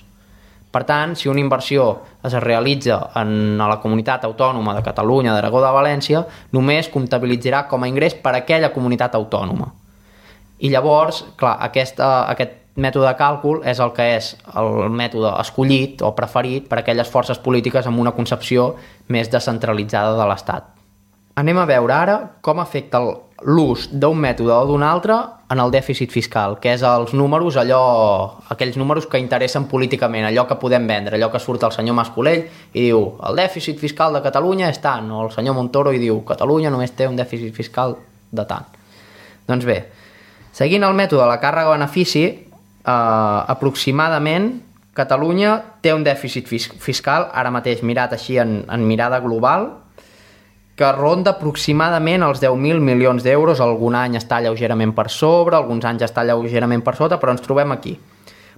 Per tant, si una inversió es realitza en la comunitat autònoma de Catalunya, d'Aragó, de València, només comptabilitzarà com a ingrés per aquella comunitat autònoma. I llavors, clar, aquest, aquest mètode de càlcul és el que és el mètode escollit o preferit per a aquelles forces polítiques amb una concepció més descentralitzada de l'Estat. Anem a veure ara com afecta l'ús d'un mètode o d'un altre en el dèficit fiscal, que és els números, allò, aquells números que interessen políticament, allò que podem vendre, allò que surt el senyor Mas-Colell i diu el dèficit fiscal de Catalunya és tant, o el senyor Montoro i diu Catalunya només té un dèficit fiscal de tant. Doncs bé, seguint el mètode de la càrrega-benefici, eh, aproximadament Catalunya té un dèficit fiscal, ara mateix mirat així en, en mirada global, que ronda aproximadament els deu mil milions d'euros. Algun any està lleugerament per sobre, alguns anys està lleugerament per sota, però ens trobem aquí,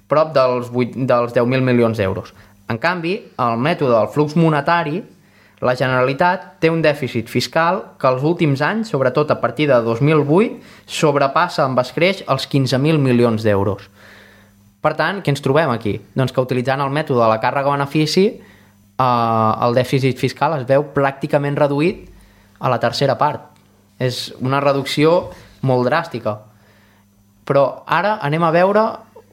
prop dels, vuit, dels deu mil milions d'euros. En canvi, el mètode del flux monetari, la Generalitat té un dèficit fiscal que els últims anys, sobretot a partir de dos mil vuit, sobrepassa amb escreix els quinze mil milions d'euros. Per tant, què ens trobem aquí? Doncs que utilitzant el mètode de la càrrega-benefici, Uh, el dèficit fiscal es veu pràcticament reduït a la tercera part. És una reducció molt dràstica. Però ara anem a veure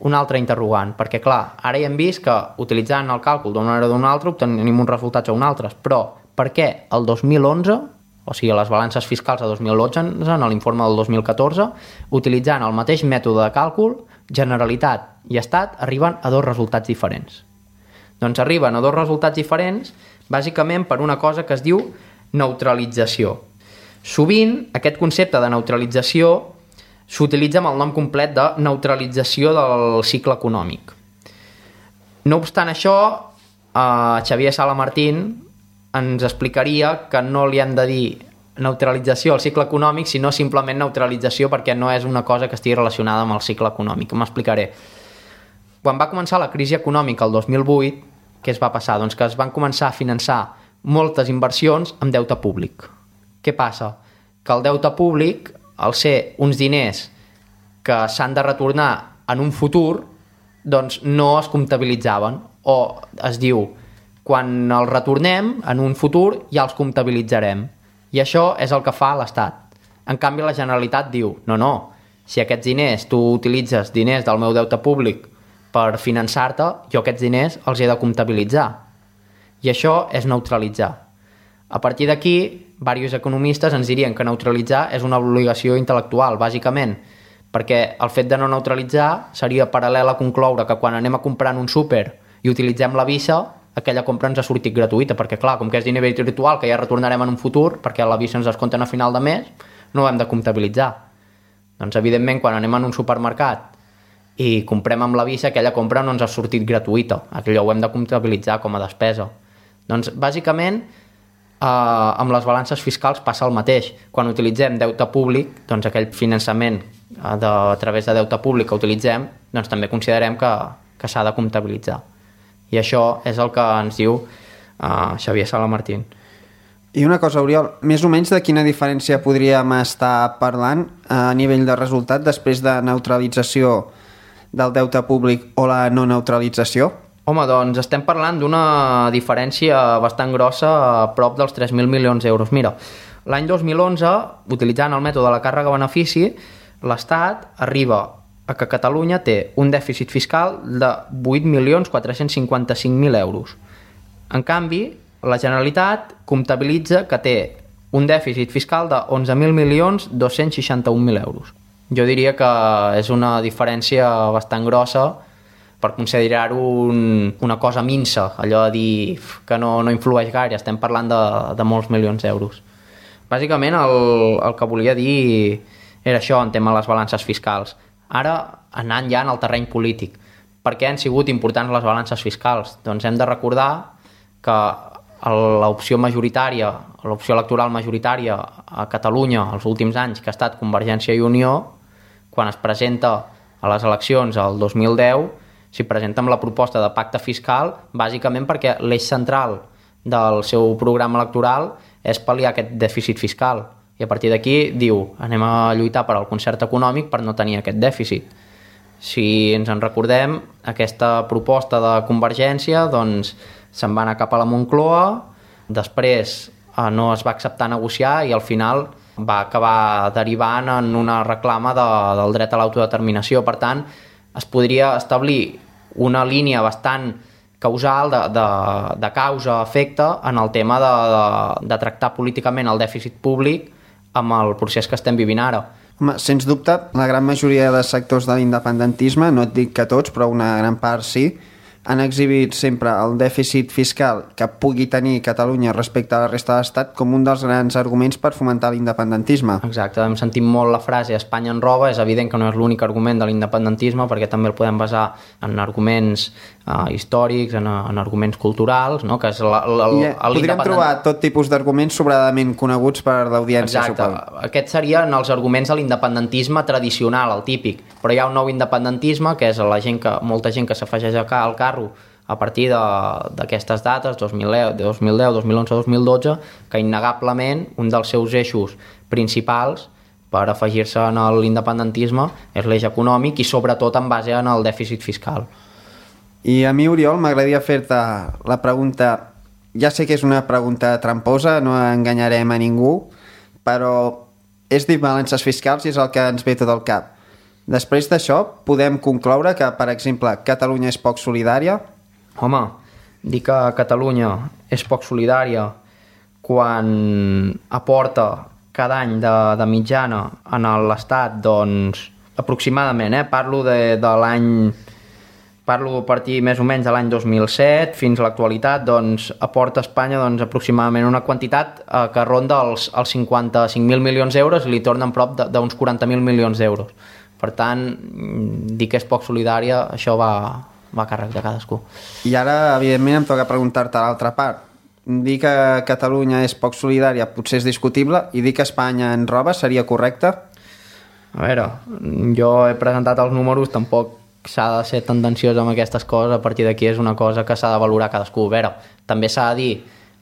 un altre interrogant, perquè clar, ara ja hem vist que utilitzant el càlcul d'una manera o d'una altra obtenim uns resultats o uns altres, però per què el dos mil onze, o sigui, les balances fiscals de dos mil onze, en l'informe del dos mil catorze, utilitzant el mateix mètode de càlcul, Generalitat i Estat arriben a dos resultats diferents? Doncs arriben a dos resultats diferents bàsicament per una cosa que es diu neutralització. Sovint aquest concepte de neutralització s'utilitza amb el nom complet de neutralització del cicle econòmic. No obstant això, eh, Xavier Sala Martín ens explicaria que no li han de dir neutralització al cicle econòmic, sinó simplement neutralització, perquè no és una cosa que estigui relacionada amb el cicle econòmic. M'explicaré. Quan va començar la crisi econòmica el dos mil vuit, què es va passar? Doncs que es van començar a finançar moltes inversions amb deute públic. Què passa? Que el deute públic, al ser uns diners que s'han de retornar en un futur, doncs no es comptabilitzaven. O es diu, quan els retornem en un futur ja els comptabilitzarem. I això és el que fa l'Estat. En canvi, la Generalitat diu, no, no, si aquests diners, tu utilitzes diners del meu deute públic per finançar-te, jo aquests diners els he de comptabilitzar. I això és neutralitzar. A partir d'aquí, diversos economistes ens dirien que neutralitzar és una obligació intel·lectual, bàsicament, perquè el fet de no neutralitzar seria paral·lel a concloure que quan anem a comprar en un súper i utilitzem la Visa, aquella compra ens ha sortit gratuïta, perquè clar, com que és diner virtual que ja retornarem en un futur, perquè la Visa ens descompten a final de mes, no ho hem de comptabilitzar. Doncs evidentment, quan anem en un supermercat i comprem amb la Visa, aquella compra no ens ha sortit gratuïta, allò ho hem de comptabilitzar com a despesa. Doncs bàsicament eh, amb les balances fiscals passa el mateix. Quan utilitzem deute públic, doncs aquell finançament eh, de, a través de deute públic que utilitzem, doncs també considerem que, que s'ha de comptabilitzar. I això és el que ens diu eh, Xavier Sala Martín. I una cosa, Oriol, més o menys de quina diferència podríem estar parlant a nivell de resultat després de neutralització del deute públic o la no neutralització? Home, doncs estem parlant d'una diferència bastant grossa a prop dels tres mil milions d'euros. Mira, l'any dos mil onze, utilitzant el mètode de la càrrega-benefici, l'Estat arriba a que Catalunya té un dèficit fiscal de vuit milions quatre-cents cinquanta-cinc mil euros. En canvi, la Generalitat comptabilitza que té un dèficit fiscal de onze mil milions dos-cents seixanta-un mil euros. Jo diria que és una diferència bastant grossa per considerar-ho un, una cosa minsa, allò de dir que no, no influeix gaire, estem parlant de, de molts milions d'euros. Bàsicament el, el que volia dir era això en tema de les balances fiscals. Ara, anant ja en el terreny polític, per què han sigut importants les balances fiscals? Doncs hem de recordar que l'opció majoritària, l'opció electoral majoritària a Catalunya els últims anys, que ha estat Convergència i Unió, quan es presenta a les eleccions el dos mil deu, s'hi presenta amb la proposta de pacte fiscal, bàsicament perquè l'eix central del seu programa electoral és pal·liar aquest dèficit fiscal. I a partir d'aquí diu, anem a lluitar per al concert econòmic per no tenir aquest dèficit. Si ens en recordem, aquesta proposta de Convergència doncs, se'n va anar cap a la Moncloa, després eh, no es va acceptar negociar i al final va acabar derivant en una reclama de, del dret a l'autodeterminació. Per tant, es podria establir una línia bastant causal de, de, de causa-efecte en el tema de, de, de tractar políticament el dèficit públic amb el procés que estem vivint ara. Home, sens dubte, la gran majoria de sectors de l'independentisme, no et dic que tots, però una gran part sí, han exhibit sempre el dèficit fiscal que pugui tenir Catalunya respecte a la resta de l'Estat com un dels grans arguments per fomentar l'independentisme. Exacte, hem sentit molt la frase Espanya en roba, és evident que no és l'únic argument de l'independentisme perquè també el podem basar en arguments uh, històrics, en, en arguments culturals, no? Que és la, la, I, podríem trobar tot tipus d'arguments sobradament coneguts per l'audiència. Exacte, suposo. Aquests serien els arguments de l'independentisme tradicional, el típic, però hi ha un nou independentisme que és la gent que, molta gent que s'afegeix al carro a partir d'aquestes dates, dos mil deu, dos mil onze, dos mil dotze, que innegablement un dels seus eixos principals per afegir-se en l'independentisme és l'eix econòmic i sobretot en base en el dèficit fiscal. I a mi, Oriol, m'agradaria fer-te la pregunta, ja sé que és una pregunta tramposa, no enganyarem a ningú, però és dir balances fiscals i és el que ens ve tot al cap. Després d'això, podem concloure que, per exemple, Catalunya és poc solidària? Home, dir que Catalunya és poc solidària quan aporta cada any de, de mitjana en l'Estat, doncs, aproximadament, eh? Parlo de, de l'any... Parlo a partir més o menys de l'any dos mil set fins a l'actualitat, doncs aporta a Espanya doncs, aproximadament una quantitat eh, que ronda els, els cinquanta-cinc mil milions d'euros i li tornen prop d'uns quaranta mil milions d'euros. Per tant, dir que és poc solidària, això va, va a càrrec de cadascú. I ara, evidentment, em toca preguntar-te l'altra part. Dir que Catalunya és poc solidària potser és discutible i dir que Espanya en roba seria correcte? A veure, jo he presentat els números, tampoc s'ha de ser tendenciós amb aquestes coses, a partir d'aquí és una cosa que s'ha de valorar cadascú. A veure, també s'ha de dir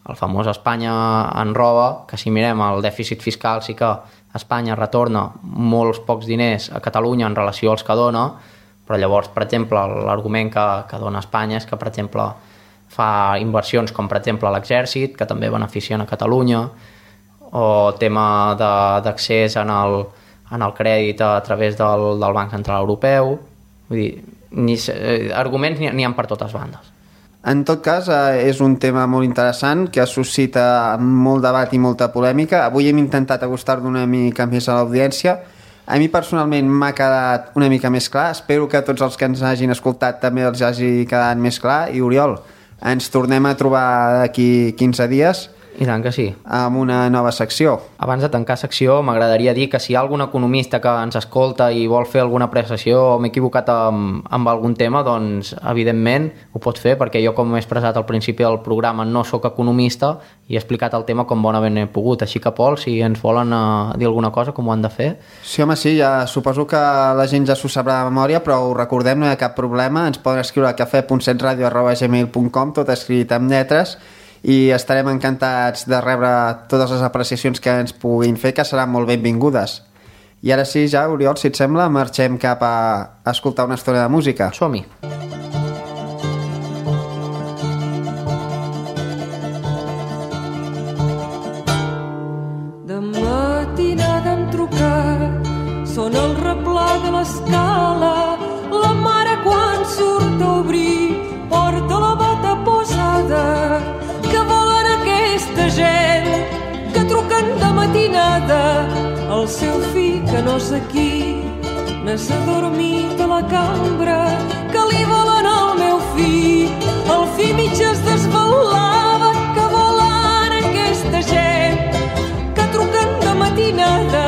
el famós Espanya en roba, que si mirem el dèficit fiscal sí que Espanya retorna molts pocs diners a Catalunya en relació als que dona, però llavors, per exemple, l'argument que, que dona Espanya és que, per exemple, fa inversions com, per exemple, l'exèrcit, que també beneficien a Catalunya, o tema d'accés en, el, en el crèdit a través del, del Banc Central Europeu. Vull dir, ni, arguments n'hi ha per totes bandes. En tot cas, eh, és un tema molt interessant que suscita molt debat i molta polèmica. Avui hem intentat acostar-lo una mica més a l'audiència. A mi personalment m'ha quedat una mica més clar. Espero que tots els que ens hagin escoltat també els hagi quedat més clar. I Oriol, ens tornem a trobar d'aquí quinze dies. I tant que sí. Amb una nova secció. Abans de tancar secció, m'agradaria dir que si hi ha algun economista que ens escolta i vol fer alguna apreciació o m'he equivocat amb, amb algun tema, doncs, evidentment, ho pot fer, perquè jo, com he expressat al principi del programa, no sóc economista i he explicat el tema com bonament he pogut. Així que, Pol, si ens volen uh, dir alguna cosa, com ho han de fer? Sí, home, sí, ja suposo que la gent ja s'ho sabrà de memòria, però ho recordem, no hi ha cap problema. Ens poden escriure a cafè punt set ràdio arroba gmail punt com, tot escrit amb lletres, i estarem encantats de rebre totes les apreciacions que ens puguin fer, que seran molt benvingudes. I ara sí, ja, Oriol, si et sembla, marxem cap a escoltar una estona de música. Som-hi. De matinada hem trucat, sona el replà de l'escala, la mare quan surt a obrir porta la bata posada. Que volen aquesta gent que truquen de matinada el seu fill que no és aquí, n'és adormit a la cambra, que li volen al meu fill. El fill mig es desvelava, que volen aquesta gent que truquen de matinada.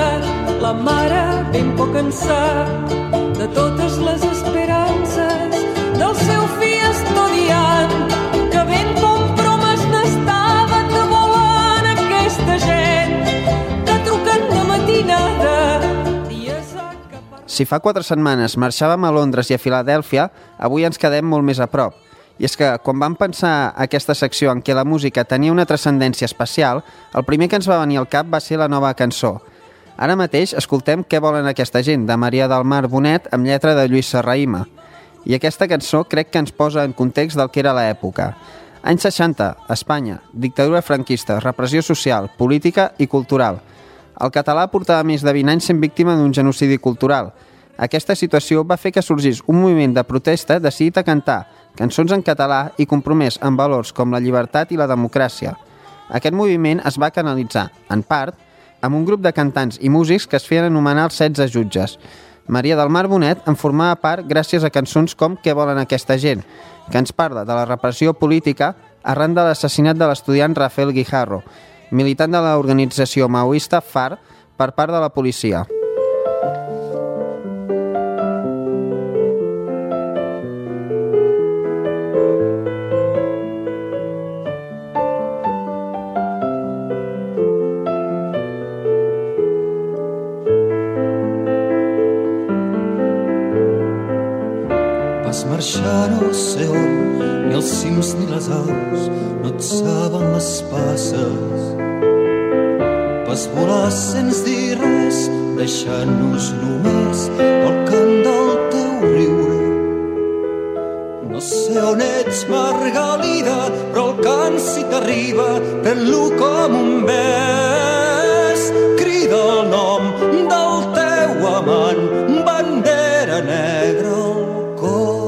La mare ben poc en sap de totes les esperances del seu fill estudiant, que ben poc Si fa quatre setmanes marxàvem a Londres i a Filadèlfia, avui ens quedem molt més a prop. I és que, quan vam pensar aquesta secció en què la música tenia una transcendència especial, el primer que ens va venir al cap va ser la nova cançó. Ara mateix escoltem Què volen aquesta gent, de Maria del Mar Bonet, amb lletra de Lluís Serrahima. I aquesta cançó crec que ens posa en context del que era l'època. Anys seixanta, Espanya, dictadura franquista, repressió social, política i cultural. El català portava més de vint anys sent víctima d'un genocidi cultural. Aquesta situació va fer que sorgís un moviment de protesta decidit a cantar cançons en català i compromès amb valors com la llibertat i la democràcia. Aquest moviment es va canalitzar, en part, amb un grup de cantants i músics que es feien anomenar els setze jutges. Maria del Mar Bonet en formava part gràcies a cançons com Què volen aquesta gent, que ens parla de la repressió política arran de l'assassinat de l'estudiant Rafael Guijarro, militant de l'organització maoista F A R per part de la policia. Vas marxar no sé on, ni els cims ni les aus no et saben les passes. Vas volar sense dir res, deixant-nos només el cant del teu riure. No sé on ets, Margalida, però el cant si t'arriba, pren-lo com un bes. Crida el nom del teu amant, bandera negra al cor.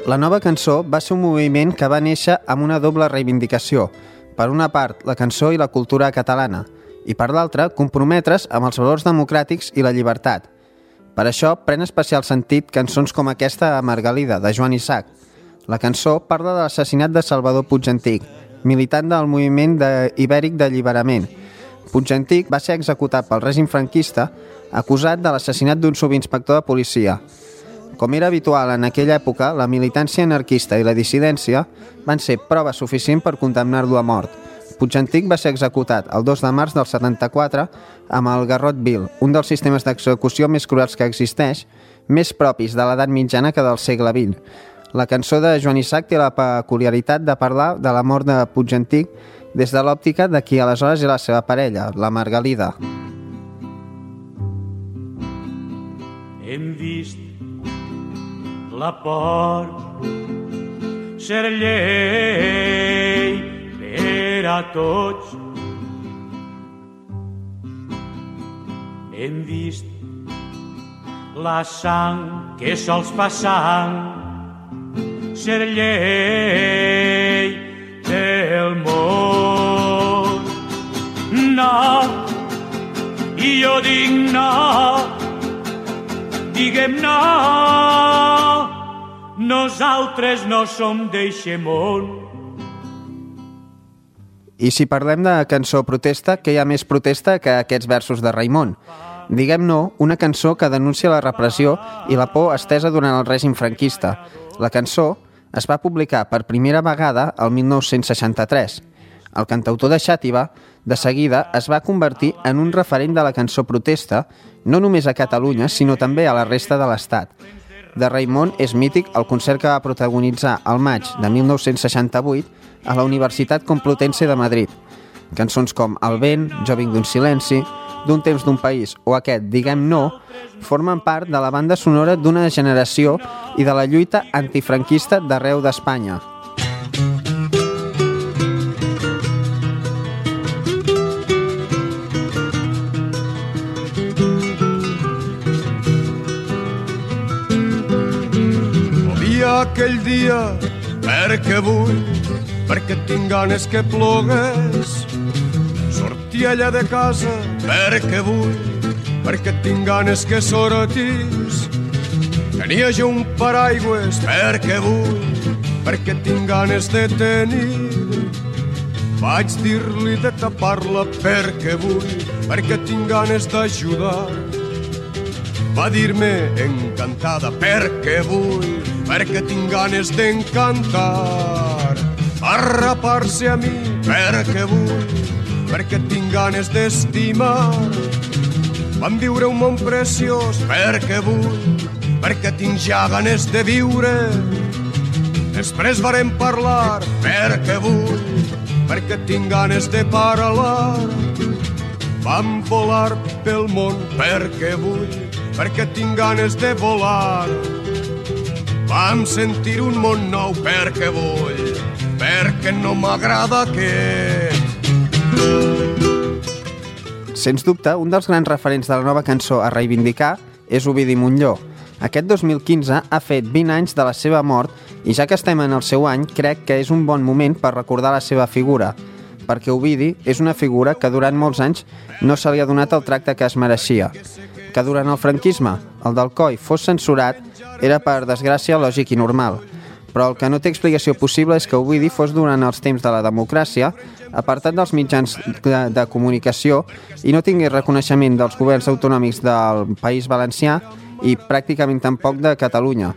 La nova cançó va ser un moviment que va néixer amb una doble reivindicació. Per una part, la cançó i la cultura catalana, i per l'altra, comprometre's amb els valors democràtics i la llibertat. Per això, pren especial sentit cançons com aquesta a Margalida, de Joan Isaac. La cançó parla de l'assassinat de Salvador Puigantic, militant del moviment de ibèric d'alliberament. Puigantic va ser executat pel règim franquista acusat de l'assassinat d'un subinspector de policia. Com era habitual en aquella època, la militància anarquista i la dissidència van ser prova suficient per condemnar-lo a mort. Puigantic va ser executat el dos de març del setanta-quatre amb el garrot vil, un dels sistemes d'execució més cruels que existeix, més propis de l'edat mitjana que del segle vint. La cançó de Joan Isaac té la peculiaritat de parlar de la mort de Puigantic des de l'òptica de qui aleshores era la seva parella, la Margalida. Hem vist la por ser llei per a tots. Hem vist la sang que sols fa sang ser llei del món. No, i jo dic no, diguem no, nosaltres no som d'eixe món. I si parlem de cançó protesta, què hi ha més protesta que aquests versos de Raimon? Diguem no, una cançó que denuncia la repressió i la por estesa durant el règim franquista. La cançó es va publicar per primera vegada el mil nou-cents seixanta-tres. El cantautor de Xàtiva, de seguida, es va convertir en un referent de la cançó protesta, no només a Catalunya, sinó també a la resta de l'Estat. De Raimon és mític el concert que va protagonitzar al maig de mil nou-cents seixanta-vuit a la Universitat Complutense de Madrid. Cançons com El vent, Jo vinc d'un silenci, D'un temps d'un país o aquest Diguem no formen part de la banda sonora d'una generació i de la lluita antifranquista d'arreu d'Espanya. Aquell dia perquè vull, perquè tinc ganes que plogues. Sortir allà de casa perquè vull, perquè tinc ganes que sortis. Tenia jo un paraigües perquè vull, perquè tinc ganes de tenir. Vaig dir-li de tapar-la perquè vull, perquè tinc ganes d'ajudar. Va dir-me encantada perquè vull, perquè tinc ganes d'encantar. Va rapar-se a mi perquè vull, perquè tinc ganes d'estimar. Vam viure un món preciós perquè vull, perquè tinc ja ganes de viure. Després varem parlar perquè vull, perquè tinc ganes de parlar. Vam volar pel món perquè vull, perquè tinc ganes de volar. Vam sentir un món nou perquè vull, perquè no m'agrada aquest. Sens dubte, un dels grans referents de la nova cançó a reivindicar és Ovidi Montllor. Aquest dos mil quinze ha fet vint anys de la seva mort i ja que estem en el seu any, crec que és un bon moment per recordar la seva figura, perquè Ovidi és una figura que durant molts anys no se li ha donat el tracte que es mereixia. Que durant el franquisme el d'Alcoi fos censurat era per desgràcia lògic i normal, però el que no té explicació possible és que Ovidi fos durant els temps de la democràcia apartat dels mitjans de, de comunicació i no tingués reconeixement dels governs autonòmics del País Valencià i pràcticament tampoc de Catalunya.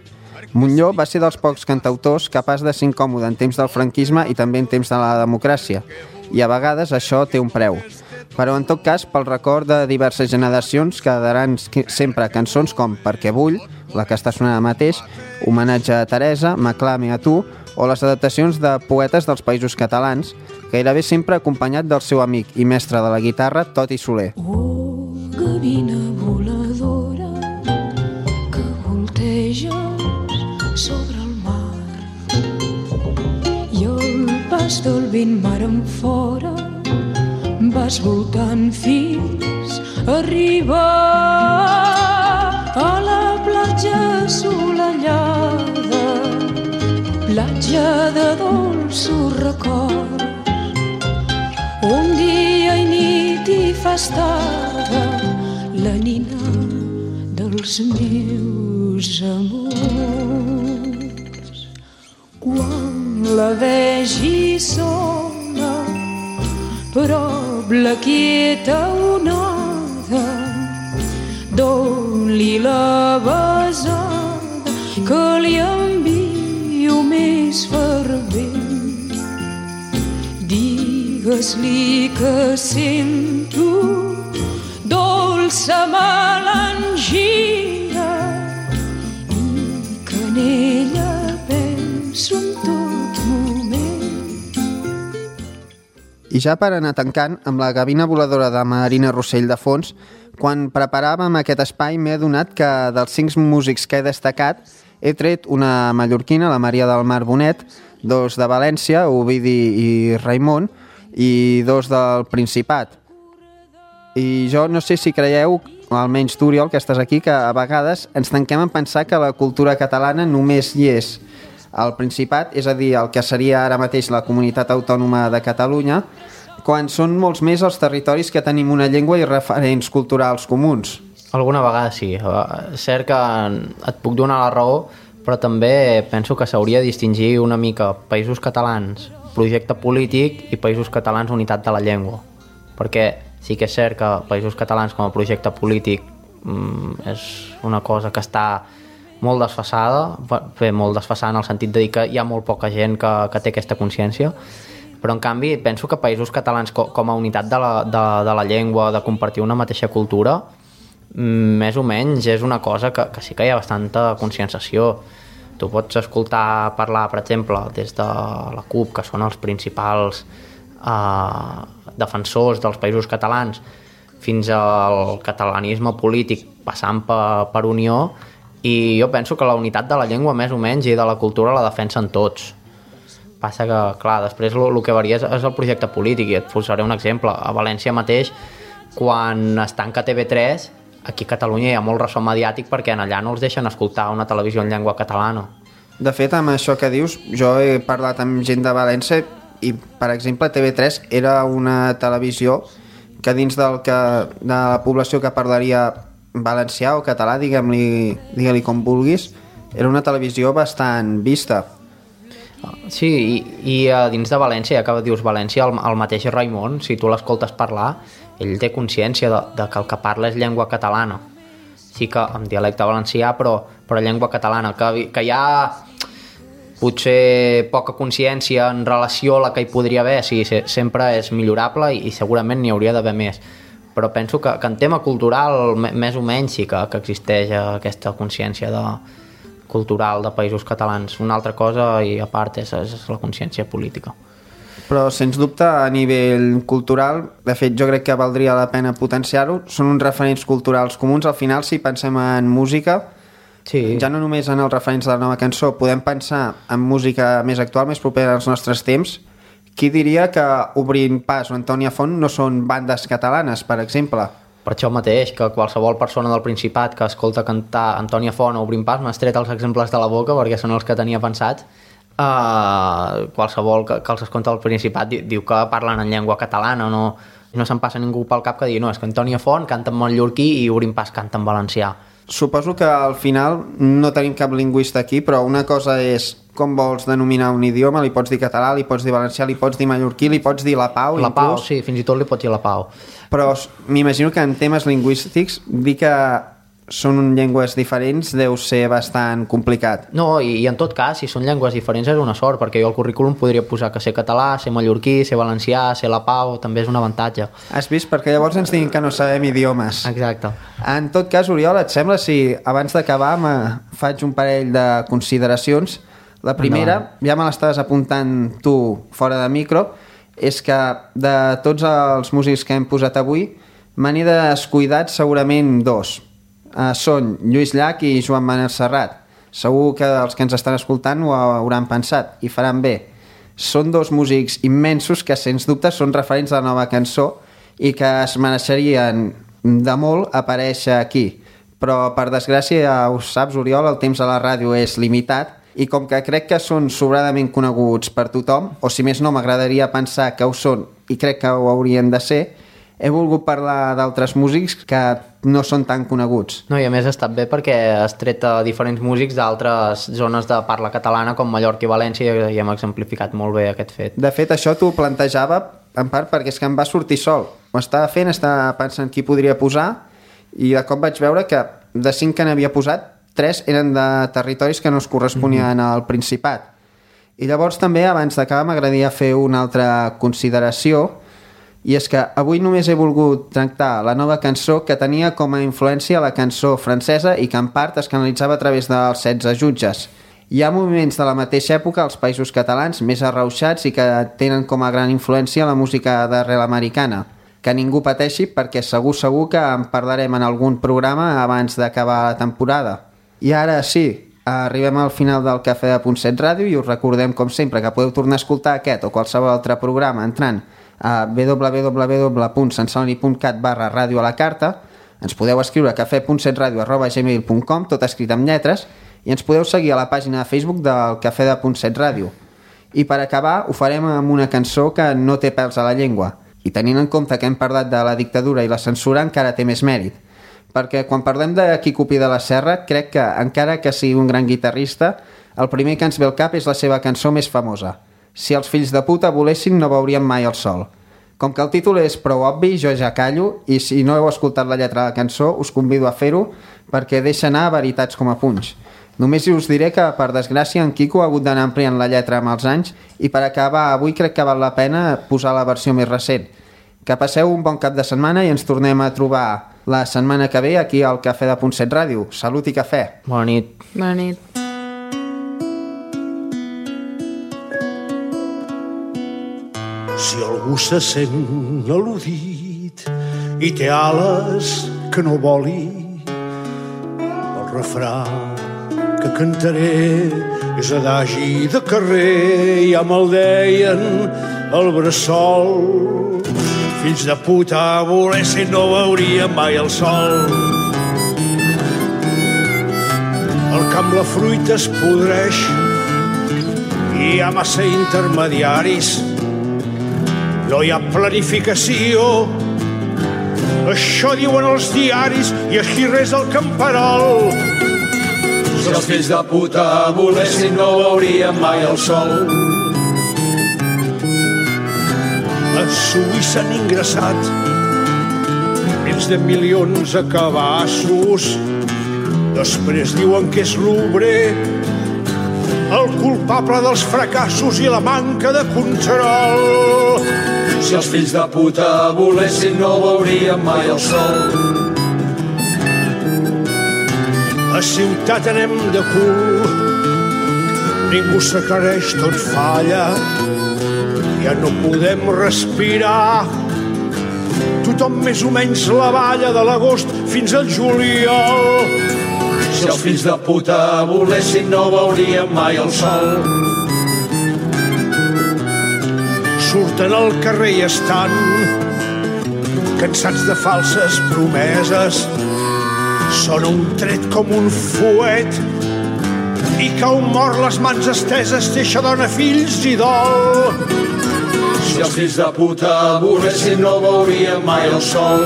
Montllor va ser dels pocs cantautors capaç de ser incòmode en temps del franquisme i també en temps de la democràcia, i a vegades això té un preu. Però en tot cas, pel record de diverses generacions quedaran sempre cançons com Perquè vull, la que està sonant mateix, Homenatge a Teresa, M'aclame a tu, o les adaptacions de poetes dels Països Catalans, gairebé sempre acompanyat del seu amic i mestre de la guitarra, Toti Soler. Oh, gavina voladora que volteges sobre el mar i el pas del vent mar en fora vas voltant fins a arribar a la platja assolellada, platja de dolços records, on dia i nit hi fa estada la nina dels meus amors. Quan la vegi sola prop la quieta onada, doni la besada que li envio més fervent. Digues-li que sento dolça melangia i que en ella penso en tot moment. I ja per anar tancant, amb la gavina voladora de Marina Rossell de fons, quan preparàvem aquest espai m'he adonat que dels cinc músics que he destacat he tret una mallorquina, la Maria del Mar Bonet, dos de València, Ovidi i Raimon, i dos del Principat. I jo no sé si creieu, almenys tu, Oriol, que estàs aquí, que a vegades ens tanquem en pensar que la cultura catalana només hi és al Principat, és a dir, el que seria ara mateix la comunitat autònoma de Catalunya, quan són molts més els territoris que tenim una llengua i referents culturals comuns. Alguna vegada sí. És cert que et puc donar la raó, però també penso que s'hauria de distingir una mica Països Catalans, projecte polític, i Països Catalans, unitat de la llengua. Perquè sí que és cert que Països Catalans com a projecte polític mmm, és una cosa que està molt desfasada, bé, molt desfasada en el sentit de dir que hi ha molt poca gent que, que té aquesta consciència, però en canvi penso que Països Catalans com, com a unitat de la, de, de la llengua, de compartir una mateixa cultura, més o menys és una cosa que, que sí que hi ha bastanta conscienciació. Tu pots escoltar parlar, per exemple, des de la CUP, que són els principals eh, defensors dels Països Catalans, fins al catalanisme polític, passant per, per Unió, i jo penso que la unitat de la llengua més o menys i de la cultura la defensen tots. Passa que, clar, després el que varia és, és el projecte polític, i et posaré un exemple. A València mateix, quan es tanca T V tres, aquí a Catalunya hi ha molt ressò mediàtic perquè en allà no els deixen escoltar una televisió en llengua catalana. De fet, amb això que dius, jo he parlat amb gent de València i, per exemple, T V tres era una televisió que dins del que, de la població que parlaria valencià o català, diguem-li, digue-li com vulguis, era una televisió bastant vista. Sí, i, i a dins de València, ja que dius València, el, el mateix Raimon, si tu l'escoltes parlar, ell té consciència de, de que el que parla és llengua catalana. Sí que amb dialecte valencià, però, però llengua catalana, que, que hi ha potser poca consciència en relació a la que hi podria haver, sí, sempre és millorable i, i segurament n'hi hauria d'haver més. Però penso que, que en tema cultural més o menys sí que, que existeix aquesta consciència de, cultural de països catalans. Una altra cosa, i a part, és, és la consciència política. Però, sens dubte, a nivell cultural, de fet, jo crec que valdria la pena potenciar-ho. Són uns referents culturals comuns. Al final, si pensem en música, sí. Ja no només en els referents de la nova cançó, podem pensar en música més actual, més propera als nostres temps. Qui diria que Obrint Pas o Antònia Font no són bandes catalanes, per exemple? Per això mateix, que qualsevol persona del Principat que escolta cantar Antònia Font o Obrint Pas, m'has tret els exemples de la boca perquè són els que tenia pensats, uh, qualsevol que, que els escolta al Principat diu que parlen en llengua catalana, no, no se'n passa ningú pel cap que digui no, és que Antònia Font canta en mallorquí i Obrint Pas canta en valencià. Suposo que al final no tenim cap lingüista aquí, però una cosa és com vols denominar un idioma, li pots dir català, li pots dir valencià, li pots dir mallorquí, li pots dir la Pau, la inclús. Pau, sí, fins i tot li pots dir la Pau. Però m'imagino que en temes lingüístics dir que són llengües diferents deu ser bastant complicat. No, i, i en tot cas, si són llengües diferents és una sort, perquè jo al currículum podria posar que sé català, sé mallorquí, sé valencià, sé la Pau, també és un avantatge. Has vist? Perquè llavors ens diguin que no sabem idiomes. Exacte. En tot cas, Oriol, et sembla si abans d'acabar me faig un parell de consideracions? La primera, endavant. Ja me l'estaves apuntant tu fora de micro, és que de tots els músics que hem posat avui me n'he descuidat segurament dos. Uh, són Lluís Llach i Joan Manel Serrat. Segur que els que ens estan escoltant ho hauran pensat i faran bé. Són dos músics immensos que sens dubte són referents de la nova cançó i que es mereixerien de molt aparèixer aquí. Però per desgràcia, ja ho saps, Oriol, el temps a la ràdio és limitat i com que crec que són sobradament coneguts per tothom, o si més no m'agradaria pensar que ho són i crec que ho haurien de ser, he volgut parlar d'altres músics que no són tan coneguts. No, i a més ha estat bé perquè has tret a diferents músics d'altres zones de parla catalana com Mallorca i València i hem exemplificat molt bé aquest fet. De fet, això t'ho plantejava en part perquè és que em va sortir sol. Ho estava fent, estava pensant qui podria posar i de cop vaig veure que de cinc que n'havia posat, tres eren de territoris que no es corresponien mm-hmm. al Principat. I llavors també, abans d'acabar, m'agradaria fer una altra consideració. I és que avui només he volgut tractar la nova cançó que tenia com a influència la cançó francesa i que en part es canalitzava a través dels setze jutges. Hi ha moviments de la mateixa època als països catalans més arrauxats i que tenen com a gran influència la música d'arrel americana. Que ningú pateixi perquè segur segur que en parlarem en algun programa abans d'acabar la temporada. I ara sí, arribem al final del Cafè de Punt set Ràdio i us recordem com sempre que podeu tornar a escoltar aquest o qualsevol altre programa entrant a w w w punt sansaloni punt cat barra ràdio a la carta. Ens podeu escriure a cafè punt set ràdio arroba gmail punt com, tot escrit amb lletres, i ens podeu seguir a la pàgina de Facebook del Cafè de Punt set Ràdio. I per acabar ho farem amb una cançó que no té pèls a la llengua, i tenint en compte que hem parlat de la dictadura i la censura encara té més mèrit, perquè quan parlem de Quico Pi de la Serra crec que, encara que sigui un gran guitarrista, el primer que ens ve al cap és la seva cançó més famosa, Si els fills de puta volessin no veurien mai el sol. Com que el títol és prou obvi, jo ja callo, i si no heu escoltat la lletra de la cançó, us convido a fer-ho perquè deixa anar veritats com a punys. Només us diré que, per desgràcia, en Quico ha hagut d'anar ampliant la lletra amb els anys i per acabar avui crec que val la pena posar la versió més recent. Que passeu un bon cap de setmana i ens tornem a trobar la setmana que ve aquí al Cafè de Punt set Ràdio. Salut i cafè. Bona nit. Bona nit. Si algú se sent al·ludit i té ales que no voli, el refrà que cantaré és adagi de carrer, ja me'l deien el bressol. Fills de puta volessin no veurien mai el sol. Al camp la fruita es podreix i hi ha massa intermediaris. No hi ha planificació, això diuen els diaris i aquí res al camperol. Si els fills de puta volessin no veurien mai el sol. A Suïssa han ingressat més de milions a cabassos. Després diuen que és l'obrer el culpable dels fracassos i la manca de control. Si els fills de puta volessin no veurien mai el sol. A a ciutat anem de cul, ningú s'aclareix, tot falla, ja no podem respirar. Tothom més o menys la balla de l'agost fins al juliol. Si els fills de puta volessin no veurien mai el sol. Surten al carrer i estan cansats de falses promeses. Sona un tret com un fuet i cau mort les mans esteses, deixa dona, fills i dol. Si els fills de puta volessin no veurien mai el sol.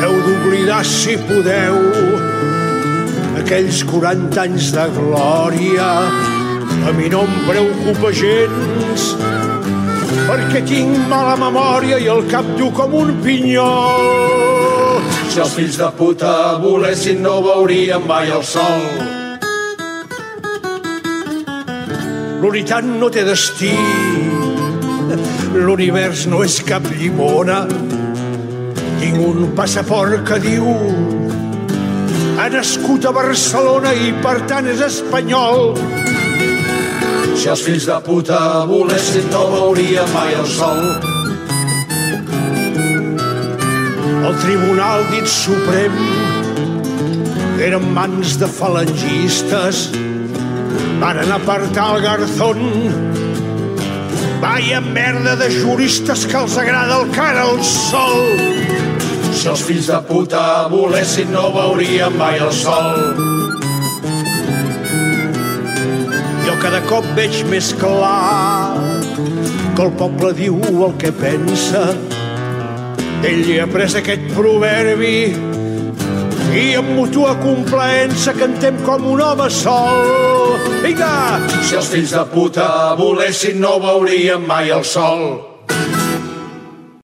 Heu d'oblidar, si podeu, aquells quaranta anys de glòria. A mi no em preocupa gens, perquè tinc mala memòria i el cap dur com un pinyol. Si els fills de puta volessin no veurien mai el sol. L'unitat no té destí, l'univers no és cap llimona. Tinc un passaport que diu ha nascut a Barcelona i per tant és espanyol. Si els fills de puta volessin no veurien mai el sol. El tribunal dit suprem era en mans de falangistes. Van apartar el Garzón. Vaya merda de juristes que els agrada el cara al sol. Si els fills de puta volessin no veurien mai el sol. Jo cada cop veig més clar que el poble diu el que pensa. Ell li ha pres aquest proverbi i amb mútua complaença cantem com un home sol. Vinga! Si els fills de puta volessin no veurien mai el sol.